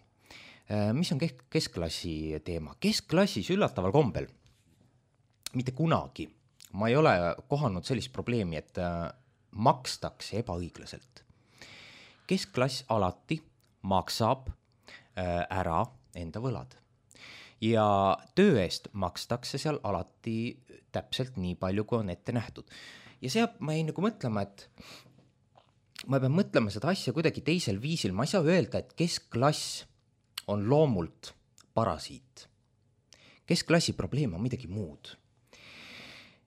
Speaker 1: Mis on keskklassi teema? Keskklassis üllataval kombel, mitte kunagi, ma ei ole kohanud sellist probleemi, et makstakse ebaõiglaselt. Keskklass alati maksab ära enda võlad. Ja töö eest makstakse seal alati täpselt nii palju, kui on ette nähtud. Ja see ma ei nagu mõtlema, et ma pean mõtlema seda asja kuidagi teisel viisil. Ma ei saa öelda, et keskklass on loomult parasiit. Keskklassi probleem on midagi muud.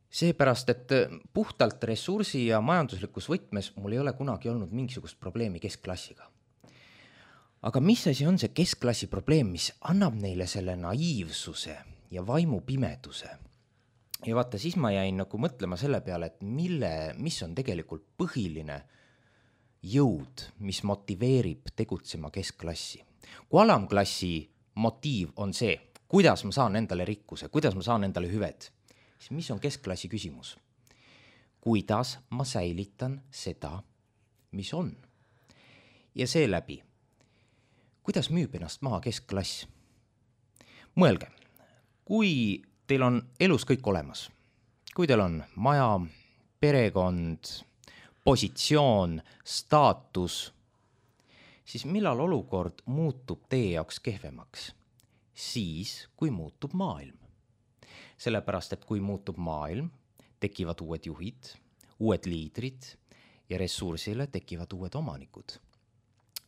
Speaker 1: Seepärast, et puhtalt ressursi ja majanduslikus võtmes mul ei ole kunagi olnud mingisugust probleemi keskklassiga. Aga mis asi on see keskklassi probleem, mis annab neile selle naiivsuse ja vaimu pimeduse? Ja vaata, siis ma jäin nagu mõtlema selle peale, et mille, mis on tegelikult põhiline jõud, mis motiveerib tegutsema keskklassi. Kui alamklassi motiiv on see, kuidas ma saan endale rikkuse, kuidas ma saan endale hüved, siis mis on keskklassi küsimus? Kuidas ma säilitan seda, mis on? Ja seeläbi, kuidas müüb ennast maha keskklass? Mõelge, kui teil on elus kõik olemas, kui teil on maja, perekond, positsioon, staatus, siis millal olukord muutub teie jaoks kehvemaks? Siis, kui muutub maailm. Sellepärast, et kui muutub maailm, tekivad uued juhid, uued liidrid ja ressursile tekivad uued omanikud.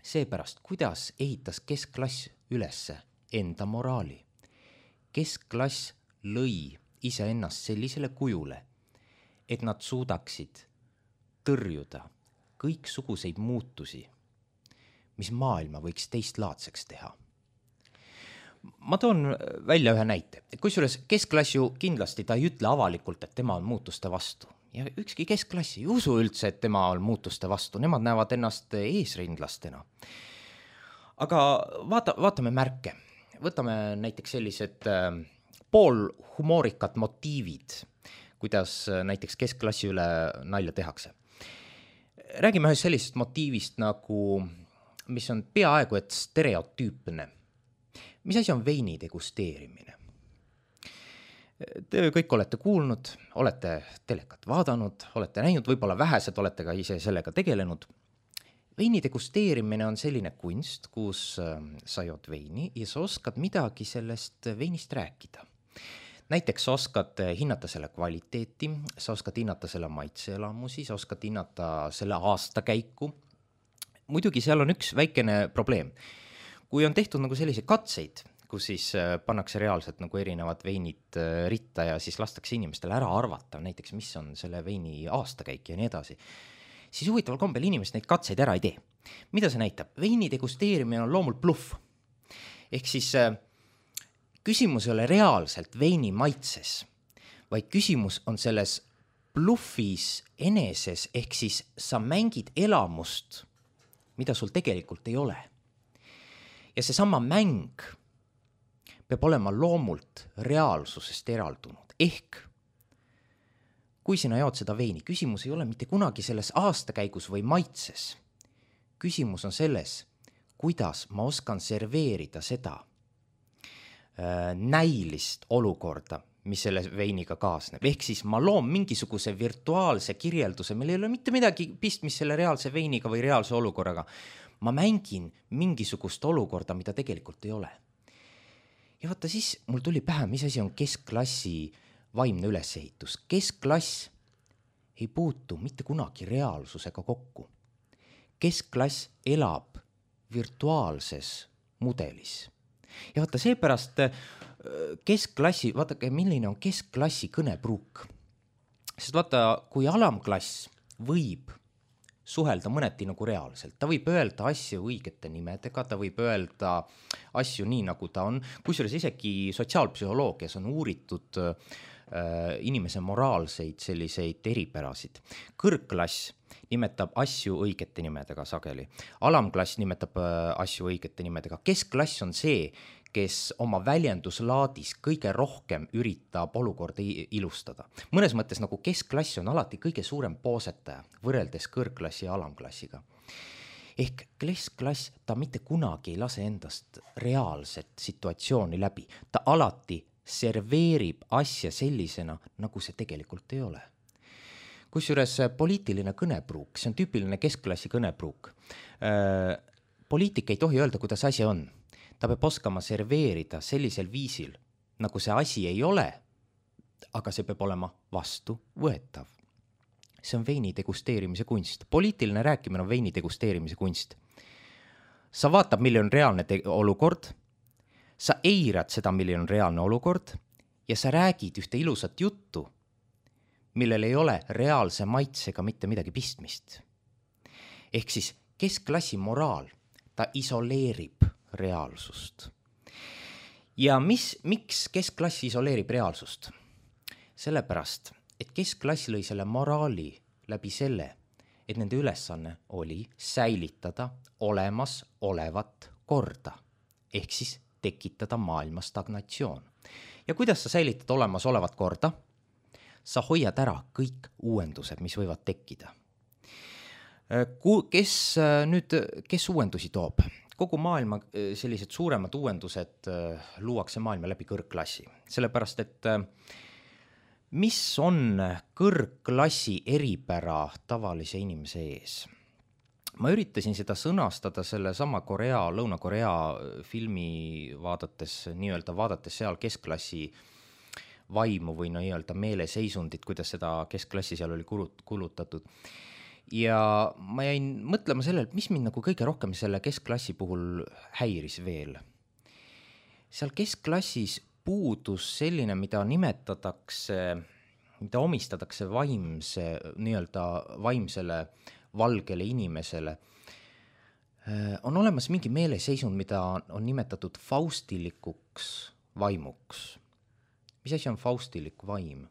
Speaker 1: Seepärast, kuidas ehitas keskklass ülesse enda moraali? Keskklass lõi iseennast sellisele kujule, et nad suudaksid tõrjuda kõiksuguseid muutusi, mis maailma võiks teistlaadseks teha. Ma toon välja ühe näite. Kusjuures keskklass ju kindlasti ta ei ütle avalikult, et tema on muutuste vastu. Ja ükski keskklassi ei usu üldse, et tema on muutuste vastu. Nemad näevad ennast eesrindlastena. aga vaata, vaatame märke. Võtame näiteks sellised äh, poolhumoorikad motiivid, kuidas äh, näiteks keskklassi üle nalja tehakse. Räägime ühest sellisest motiivist nagu, mis on peaaegu et stereotüüpne. Mis asi on veini degusteerimine? Te kõik olete kuulnud, olete telekat vaadanud, olete näinud, võib-olla vähesed olete ka ise sellega tegelenud. Veini degusteerimine on selline kunst, kus sa jood veini ja sa oskad midagi sellest veinist rääkida. Näiteks sa oskad hinnata selle kvaliteeti, sa oskad hinnata selle maitseelamusi, sa oskad hinnata selle aastakäiku. Muidugi seal on üks väikene probleem. Kui on tehtud nagu selliseid katseid, kus siis pannakse reaalselt nagu erinevad veinid ritta ja siis lastakse inimestele ära arvata, näiteks mis on selle veini aastakäik ja nii edasi, siis huvitaval kombel inimesed neid katseid ära ei tee. Mida see näitab? Veini degusteerimine on loomult bluff. Ehk siis küsimus ei ole reaalselt veini maitses, vaid küsimus on selles bluffis eneses, ehk siis sa mängid elamust, mida sul tegelikult ei ole. Ja see sama mäng peab olema loomult reaalsusest eraldunud. Ehk, kui sina jood seda veini, küsimus ei ole mitte kunagi selles aastakäigus või maitses. Küsimus on selles, kuidas ma oskan serveerida seda äh, näilist olukorda, mis selle veiniga kaasneb. Ehk siis ma loon mingisuguse virtuaalse kirjelduse, meil ei ole mitte midagi pistmist selle reaalse veiniga või reaalse olukorraga. Ma mängin mingisugust olukorda, mida tegelikult ei ole. Ja vaata siis mul tuli pähe, mis asi on keskklassi vaimne ülesehitus. Keskklass ei puutu mitte kunagi reaalsusega kokku. Keskklass elab virtuaalses mudelis. Ja vaata seepärast keskklassi, vaadake, milline on keskklassi kõnepruuk. Sest vaata, kui alamklass võib suhelda mõneti nagu reaalselt. Ta võib öelda asju õigete nimedega, ta võib öelda asju nii, nagu ta on. Kusjuures isegi sotsiaalpsühholoogias on uuritud äh, inimese moraalseid selliseid eripärasid. Kõrgklass nimetab asju õigete nimedega sageli. Alamklass nimetab äh, asju õigete nimedega. Keskklass on see, kes oma väljenduslaadis kõige rohkem üritab olukorda ilustada. Mõnes mõttes nagu keskklass on alati kõige suurem poosetaja võrreldes kõrgklassi ja alamklassiga. Ehk keskklass, ta mitte kunagi ei lase endast reaalset situatsiooni läbi. Ta alati serveerib asja sellisena, nagu see tegelikult ei ole. Kusjuures poliitiline kõnepruuk, see on tüüpiline keskklassi kõnepruuk. Poliitik ei tohi öelda, kuidas asi on. Ta peab oskama serveerida sellisel viisil, nagu see asi ei ole, aga see peab olema vastu võetav. See on veini degusteerimise kunst. Poliitiline rääkimine on veini degusteerimise kunst. Sa vaatab, milline on reaalne te- olukord, sa eirad seda, milline on reaalne olukord ja sa räägid ühte ilusat juttu, millel ei ole reaalse maitsega mitte midagi pistmist. Ehk siis keskklassi moraal, ta isoleerib reaalsust. Ja mis, miks keskklass isoleerib reaalsust? Sellepärast, et keskklass lõi selle moraali läbi selle, et nende ülesanne oli säilitada olemas olevat korda, ehk siis tekitada maailma stagnatsioon. Ja kuidas sa säilitad olemas olevat korda? Sa hoiad ära kõik uuendused, mis võivad tekkida. Kes nüüd, kes uuendusi toob? Kogu maailma sellised suuremad uuendused luuakse maailma läbi kõrgklassi. Sellepärast, et mis on kõrgklassi eripära tavalise inimese ees? Ma üritasin seda sõnastada selle sama Korea, Lõuna-Korea filmi vaadates, nii-öelda vaadates seal keskklassi vaimu või nii-öelda meeleseisundit, kuidas seda keskklassi seal oli kulutatud. Ja ma jäin mõtlema sellele, mis mind nagu kõige rohkem selle keskklassi puhul häiris veel. Seal keskklassis puudus selline, mida nimetatakse, mida omistatakse vaimse, nii-öelda vaimsele valgele inimesele. On olemas mingi meeleseisund, mida on nimetatud faustilikuks vaimuks. Mis asi on faustilik vaim?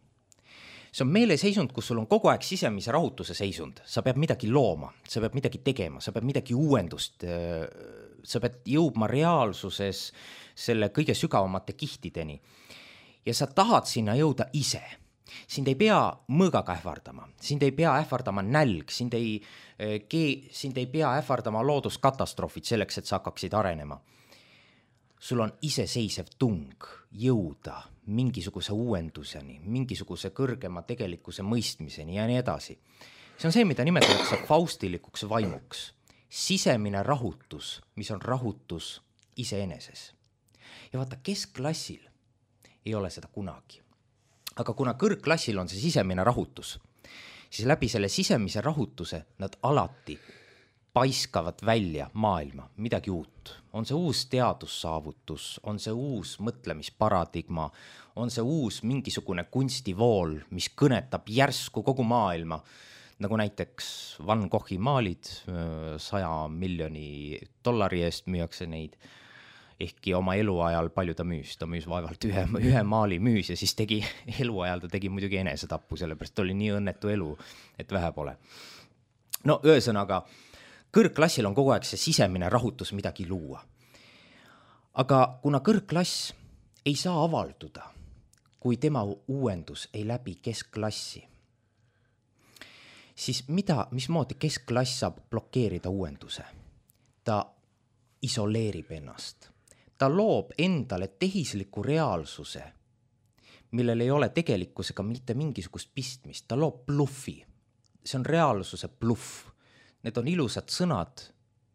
Speaker 1: See on meeleseisund, kus sul on kogu aeg sisemise rahutuse seisund. Sa pead midagi looma, sa pead midagi tegema, sa pead midagi uuendust sa pead jõudma reaalsuses selle kõige sügavamate kihtideni. Ja sa tahad sinna jõuda ise. Sind ei pea mõõgaga ähvardama, sind ei pea ähvardama nälg, sind ei, sind ei pea ähvardama looduskatastroofid selleks, et sa hakkaksid arenema. Sul on iseseisev tung jõuda mingisuguse uuenduseni, mingisuguse kõrgema tegelikkuse mõistmiseni ja nii edasi. See on see, mida nimetatakse faustilikuks vaimuks. Sisemine rahutus, mis on rahutus iseeneses. Ja vaata, keskklassil ei ole seda kunagi. Aga kuna kõrgklassil on see sisemine rahutus, siis läbi selle sisemise rahutuse nad alati paiskavad välja maailma, midagi uut. On see uus teadussaavutus, on see uus mõtlemisparadigma, on see uus mingisugune kunstivool, mis kõnetab järsku kogu maailma, nagu näiteks Van Goghi maalid, saja miljoni dollari eest müüakse neid, ehkki oma eluajal palju ta müüs, ta müüs vaevalt ühe, ühe maali müüs ja siis tegi eluajal, ta tegi muidugi enesetappu, sellepärast oli nii õnnetu elu, et vähe pole. No ühesõnaga, kõrgklassil on kogu aeg see sisemine rahutus midagi luua. Aga kuna kõrgklass ei saa avalduda, kui tema uuendus ei läbi keskklassi, siis mida, mismoodi keskklass saab blokeerida uuenduse? Ta isoleerib ennast. Ta loob endale tehisliku reaalsuse, millel ei ole tegelikkusega mitte mingisugust pistmist. Ta loob bluffi. See on reaalsuse bluff. Need on ilusad sõnad,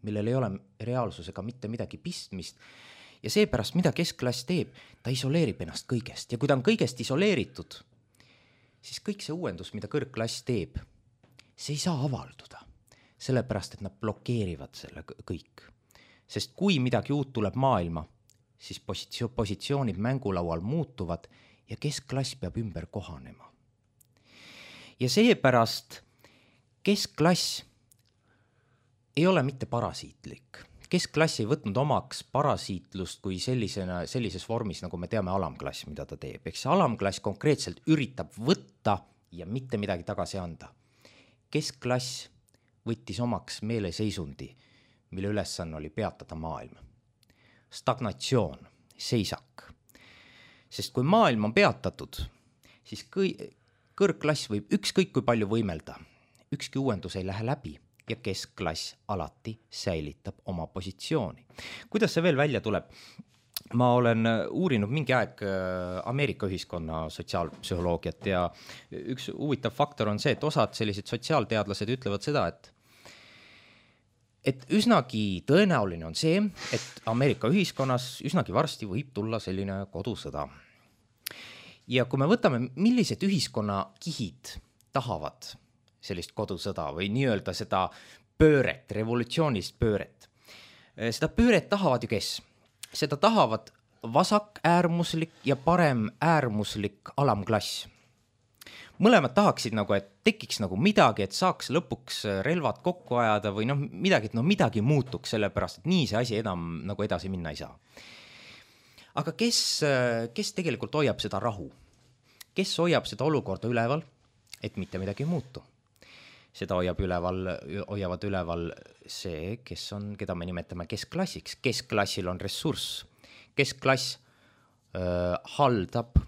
Speaker 1: millel ei ole reaalsusega mitte midagi pistmist. Ja seepärast, mida keskklass teeb, ta isoleerib ennast kõigest. Ja kui ta on kõigest isoleeritud, siis kõik see uuendus, mida kõrgklass teeb, see ei saa avalduda. Sellepärast, et nad blokeerivad selle kõik. Sest kui midagi uut tuleb maailma, siis positsioon, positsioonid mängulaual muutuvad ja keskklass peab ümber kohanema. Ja seepärast keskklass ei ole mitte parasiitlik. Keskklass ei võtnud omaks parasiitlust kui sellisena, sellises vormis, nagu me teame alamklass, mida ta teeb. Eks alamklass konkreetselt üritab võtta ja mitte midagi tagasi anda. Keskklass võttis omaks meeleseisundi, mille ülesanne oli peatada maailm. Stagnatsioon, seisak. Sest kui maailm on peatatud, siis kõrgklass võib ükskõik kui palju võimelda. Ükski uuendus ei lähe läbi ja keskklass alati säilitab oma positsiooni. Kuidas see veel välja tuleb? Ma olen uurinud mingi aeg Ameerika ühiskonna sotsiaalpsühholoogiat ja üks huvitav faktor on see, et osad sellised sotsiaalteadlased ütlevad seda, et et üsnagi tõenäoline on see, et Ameerika ühiskonnas üsnagi varsti võib tulla selline kodusõda. Ja kui me võtame, millised ühiskonna kihid tahavad sellist kodusõda või nii-öelda seda pööret, revolutsioonist pööret. Seda pööret tahavad ju kes? Seda tahavad vasak äärmuslik ja parem äärmuslik alamklass. Mõlemad tahaksid nagu, et tekiks nagu midagi, et saaks lõpuks relvad kokku ajada või noh, midagi, et no midagi muutuks sellepärast, et nii see asi enam nagu edasi minna ei saa. Aga kes, kes tegelikult hoiab seda rahu? Kes hoiab seda olukorda üleval, et mitte midagi ei muutu? Seda hoiab üleval, hoiavad üleval see, kes on, keda me nimetame keskklassiks. Keskklassil on ressurss. Keskklass äh, haldab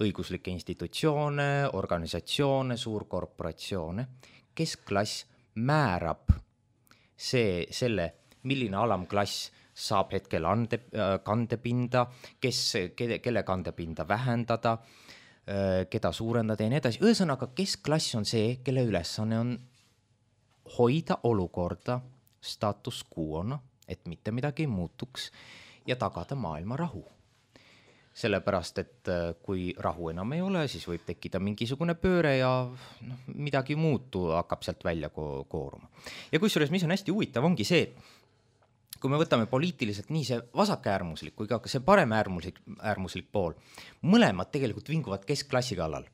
Speaker 1: õiguslikke institutsioone, organisatsioone, suurkorporatsioone. Keskklass määrab see, selle, milline alamklass saab hetkel ande, kandepinda, kes, kelle, kelle kandepinda vähendada, keda suurendada ja nii edasi. Ühesõnaga, keskklass on see, kelle ülesanne on hoida olukorda status quo'na, et mitte midagi ei muutuks ja tagada maailma rahu. Sellepärast, et kui rahu enam ei ole, siis võib tekkida mingisugune pööre ja no, midagi muutu hakkab sealt välja ko- kooruma. Ja kusjuures, mis on hästi huvitav, ongi see, kui me võtame poliitiliselt nii see vasakäärmuslik kui ka see parem äärmuslik, äärmuslik pool, mõlemad tegelikult vinguvad keskklassi kallal.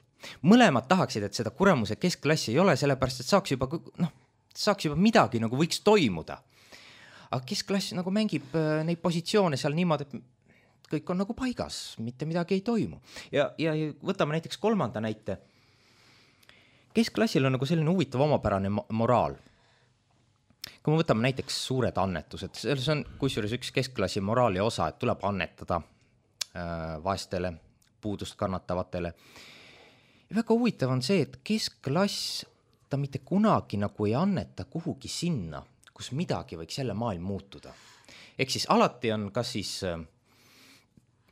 Speaker 1: Mõlemad tahaksid, et seda kuramuse keskklassi ei ole, sellepärast, et saaks juba, noh, saaks juba midagi nagu võiks toimuda. Aga keskklass nagu mängib neid positsioone seal niimoodi, et kõik on nagu paigas, mitte midagi ei toimu. Ja, ja võtame näiteks kolmanda näite. Keskklassil on nagu selline huvitav omapärane moraal. kui me võtame näiteks suured annetused, selles on kusjuures üks keskklassi moraali osa, et tuleb annetada äh, vaestele, puudust kannatavatele. Ja väga huvitav on see, et keskklass, ta mitte kunagi nagu ei anneta kuhugi sinna, kus midagi võiks jälle maailm muutuda. Ehk siis alati on kas siis,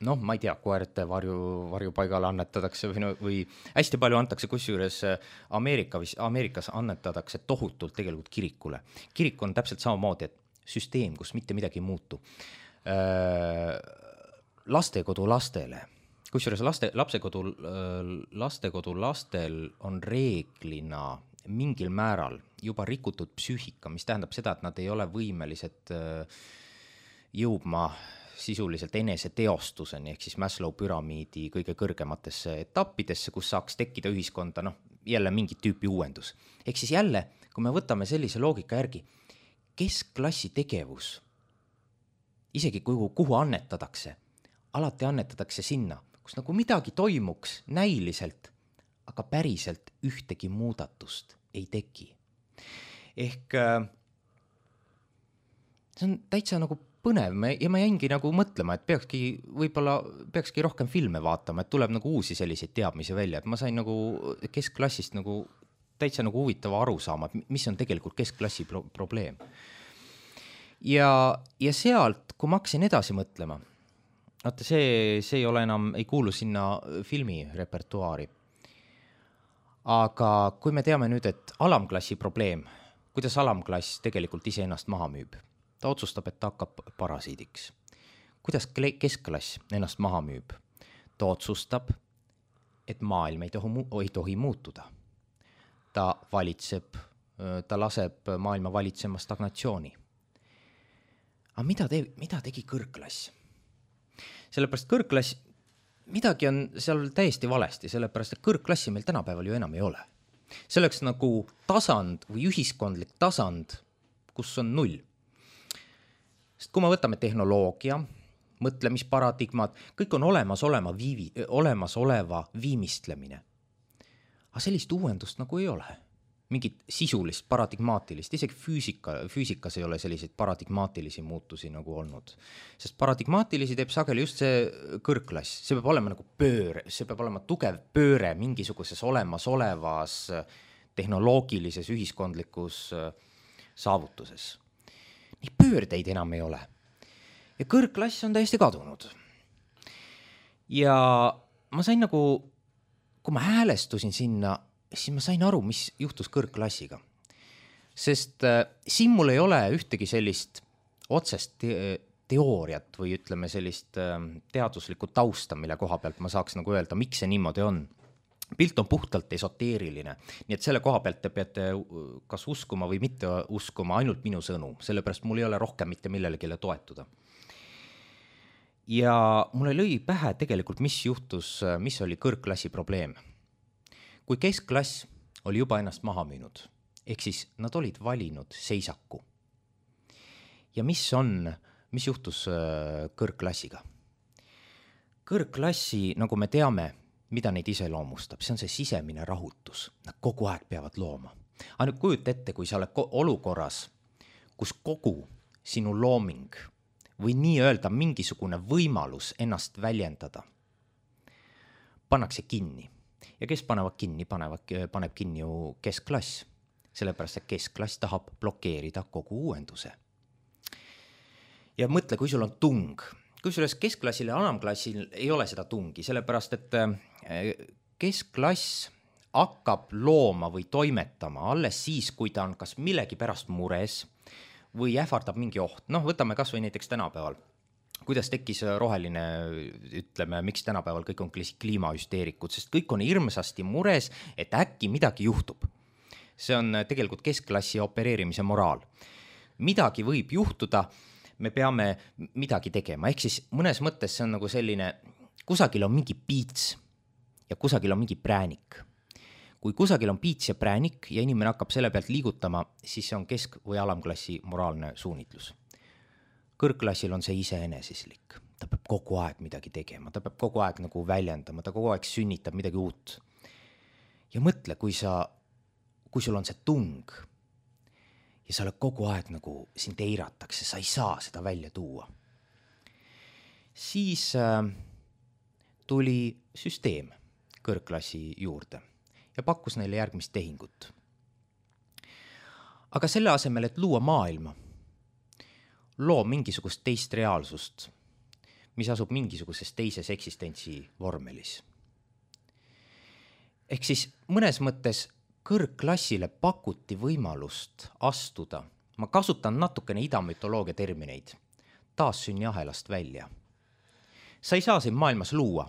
Speaker 1: noh, ma ei tea, koerte varju, varjupaigale annetatakse või, no, või hästi palju antakse, kusjuures Ameerika, Ameerikas annetatakse tohutult tegelikult kirikule. Kirik on täpselt samamoodi, et süsteem, kus mitte midagi ei muutu. Lastekodu lastele, kusjuures laste, lapsekodu, lastekodu lastel on reeglina mingil määral juba rikutud psüühika, mis tähendab seda, et nad ei ole võimelised jõudma sisuliselt enese teostuseni, ehk siis Maslow püramiidi kõige kõrgematesse etappidesse, kus saaks tekkida ühiskonda, noh, jälle mingit tüüpi uuendus. Ehk siis jälle, kui me võtame sellise loogika järgi, keskklassi tegevus, isegi kuhu, kuhu annetatakse, alati annetatakse sinna, kus nagu midagi toimuks näiliselt, aga päriselt ühtegi muudatust ei teki. Ehk see on täitsa nagu põnev ja ma jäingi nagu mõtlema, et peakski, võib-olla peakski rohkem filme vaatama, et tuleb nagu uusi selliseid teadmisi välja, et ma sain nagu keskklassist nagu täitsa nagu huvitava aru saama, mis on tegelikult keskklassi pro- probleem. Ja, ja sealt, kui ma hakkasin edasi mõtlema, vaata see, see ei ole enam, ei kuulu sinna filmi repertuaari. Aga kui me teame nüüd, et alamklassi probleem, kuidas alamklass tegelikult ise ennast maha müüb, ta otsustab, et ta hakkab parasiidiks. Kuidas keskklass ennast maha müüb? Ta otsustab, et maailm ei tohi, ei tohi muutuda. Ta valitseb, ta laseb maailma valitsema stagnatsiooni. Aga mida, te, mida tegi kõrgklass? Sellepärast kõrgklass, midagi on seal täiesti valesti, sellepärast et kõrgklassi meil tänapäeval ju enam ei ole. Selleks nagu tasand või ühiskondlik tasand, kus on null. Sest kui me võtame tehnoloogia, mõtlemisparadigmad, kõik on olemas olema viivi, olemas oleva viimistlemine. Aga sellist uuendust nagu ei ole. Mingit sisulist, paradigmaatilist, isegi füüsika, füüsikas ei ole selliseid paradigmaatilisi muutusi nagu olnud. Sest paradigmaatilisi teeb sageli just see kõrgklass. See peab olema nagu pööre, see peab olema tugev pööre mingisuguses olemas olevas tehnoloogilises ühiskondlikus saavutuses. Nii pöördeid enam ei ole. Ja kõrgklass on täiesti kadunud. Ja ma sain nagu, kui ma häälestusin sinna, siis ma sain aru, mis juhtus kõrgklassiga. Sest äh, siin mul ei ole ühtegi sellist otsest te- teooriat või ütleme sellist äh, teaduslikku tausta, mille koha pealt ma saaks nagu öelda, miks see niimoodi on. Pilt on puhtalt esoteeriline, nii et selle koha pealt te peate kas uskuma või mitte uskuma ainult minu sõnu, sellepärast mul ei ole rohkem mitte millelegi toetuda. Ja mulle lõi pähe tegelikult, mis juhtus, mis oli kõrgklassi probleem. Kui keskklass oli juba ennast maha müünud, ehk siis nad olid valinud seisaku. Ja mis on, mis juhtus kõrgklassiga? Kõrgklassi, nagu me teame, mida neid iseloomustab, see on see sisemine rahutus. Nad kogu aeg peavad looma. Aga nüüd kujuta ette, kui sa oled olukorras, kus kogu sinu looming või nii öelda mingisugune võimalus ennast väljendada pannakse kinni. Ja kes panevad kinni, panevad, paneb kinni ju keskklass, sellepärast et keskklass tahab blokeerida kogu uuenduse. Ja mõtle, kui sul on tung, kusjuures keskklassil ja alamklassil ei ole seda tungi, sellepärast et keskklass hakkab looma või toimetama alles siis, kui ta on kas millegi pärast mures või ähvardab mingi oht. Noh, võtame kas või näiteks tänapäeval. Kuidas tekkis roheline, ütleme, miks tänapäeval kõik on kliimahüsteerikud, sest kõik on hirmsasti mures, et äkki midagi juhtub. See on tegelikult keskklassi opereerimise moraal. Midagi võib juhtuda, me peame midagi tegema. Ehk siis mõnes mõttes see on nagu selline, kusagil on mingi piits ja kusagil on mingi präänik. Kui kusagil on piits ja präänik ja inimene hakkab selle pealt liigutama, siis see on kesk- või alamklassi moraalne suunitlus. Kõrgklassil on see iseenesislik. Ta peab kogu aeg midagi tegema, ta peab kogu aeg nagu väljendama, ta kogu aeg sünnitab midagi uut. Ja mõtle, kui sa, kui sul on see tung ja sa oled kogu aeg nagu sind eiratakse, sa ei saa seda välja tuua. Siis äh, tuli süsteem kõrgklassi juurde ja pakkus neile järgmist tehingut. Aga selle asemel, et luua maailma, loo mingisugust teist reaalsust, mis asub mingisuguses teises eksistentsi vormelis. Ehk siis mõnes mõttes kõrgklassile pakuti võimalust astuda, ma kasutan natukene idamütoloogia termineid, taassünni ahelast välja. Sa ei saa siin maailmas luua,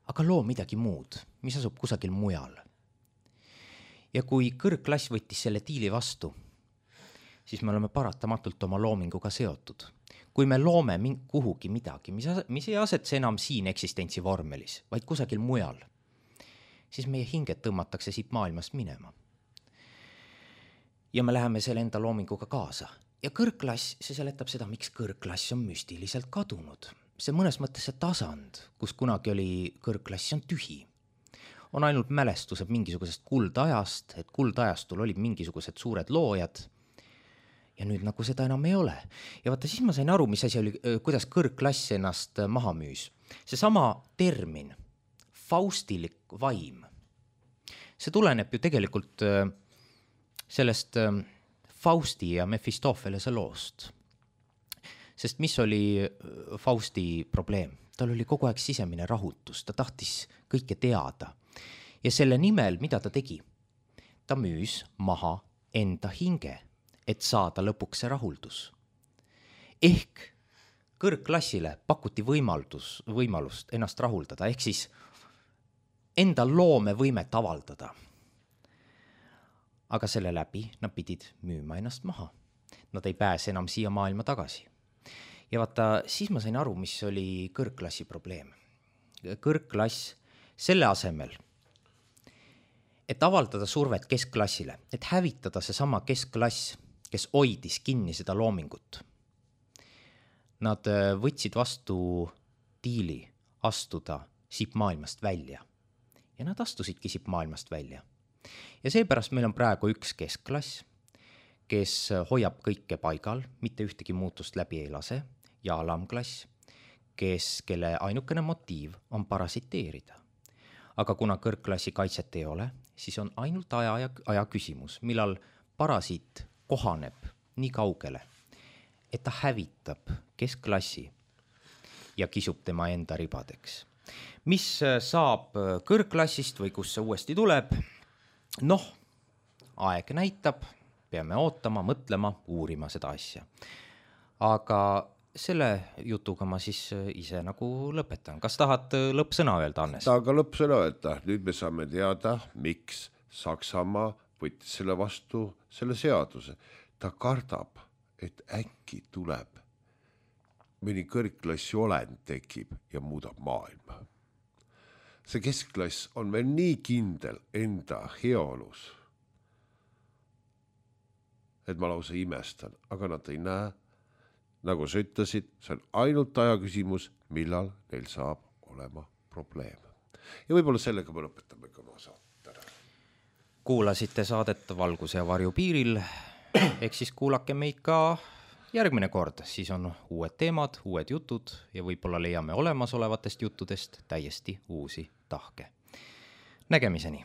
Speaker 1: aga loo midagi muud, mis asub kusagil mujal. Ja kui kõrgklass võttis selle diili vastu, siis me oleme paratamatult oma loominguga seotud. Kui me loome kuhugi midagi, mis, mis ei asetse enam siin eksistentsi vormelis, vaid kusagil mujal, siis meie hinged tõmmatakse siit maailmast minema. Ja me läheme selle enda loominguga kaasa. Ja kõrgklass, see seletab seda, miks kõrgklass on müstiliselt kadunud. See mõnes mõttes see tasand, kus kunagi oli kõrgklass, on tühi. On ainult mälestused mingisugusest kuldajast, et kuldajastul olid mingisugused suured loojad ja nüüd nagu seda enam ei ole. Ja vaata, siis ma sain aru, mis asi oli, kuidas kõrgklass ennast maha müüs. See sama termin, faustilik vaim, see tuleneb ju tegelikult sellest Fausti ja Mephistophelese loost. Sest mis oli Fausti probleem? Tal oli kogu aeg sisemine rahutus, ta tahtis kõike teada. Ja selle nimel, mida ta tegi? Ta müüs maha enda hinge, et saada lõpuks see rahuldus. Ehk kõrgklassile pakuti võimaldus, võimalust ennast rahuldada, ehk siis enda loome võimet avaldada. Aga selle läbi nad pidid müüma ennast maha. Nad ei pääse enam siia maailma tagasi. Ja vaata, siis ma sain aru, mis oli kõrgklassi probleem. Kõrgklass selle asemel, et avaldada survet keskklassile, et hävitada see sama keskklass, kes hoidis kinni seda loomingut. Nad võtsid vastu diili astuda siit maailmast välja. Ja nad astusidki siit maailmast välja. Ja seepärast meil on praegu üks keskklass, kes hoiab kõike paigal, mitte ühtegi muutust läbi ei lase, ja alamklass, kes, kelle ainukene motiiv on parasiteerida. Aga kuna kõrgklassi kaitset ei ole, siis on ainult aja, ja, aja küsimus, millal parasiit kohaneb nii kaugele, et ta hävitab keskklassi ja kisub tema enda ribadeks. Mis saab kõrgklassist või kus see uuesti tuleb? Noh, aeg näitab, peame ootama, mõtlema, uurima seda asja. Aga selle jutuga ma siis ise nagu lõpetan. Kas tahad lõppsõna öelda, Annes?
Speaker 2: Tahaga lõppsõna öelda. Nüüd me saame teada, miks Saksamaa võttis selle vastu selle seaduse. Ta kardab, et äkki tuleb mõni kõrgklassi olend tekib ja muudab maailma. See keskklass on veel nii kindel enda heaolus, et ma lausa imestan, aga nad ei näe, nagu sa ütlesid, see on ainult aja küsimus, millal neil saab olema probleem. Ja võib-olla sellega me lõpetame ka oma saate.
Speaker 1: Kuulasite saadet Valguse ja Varju piiril, ehk siis kuulake meid ka järgmine kord, siis on uued teemad, uued jutud ja võib-olla leiame olemasolevatest juttudest täiesti uusi tahke. Nägemiseni!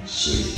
Speaker 3: See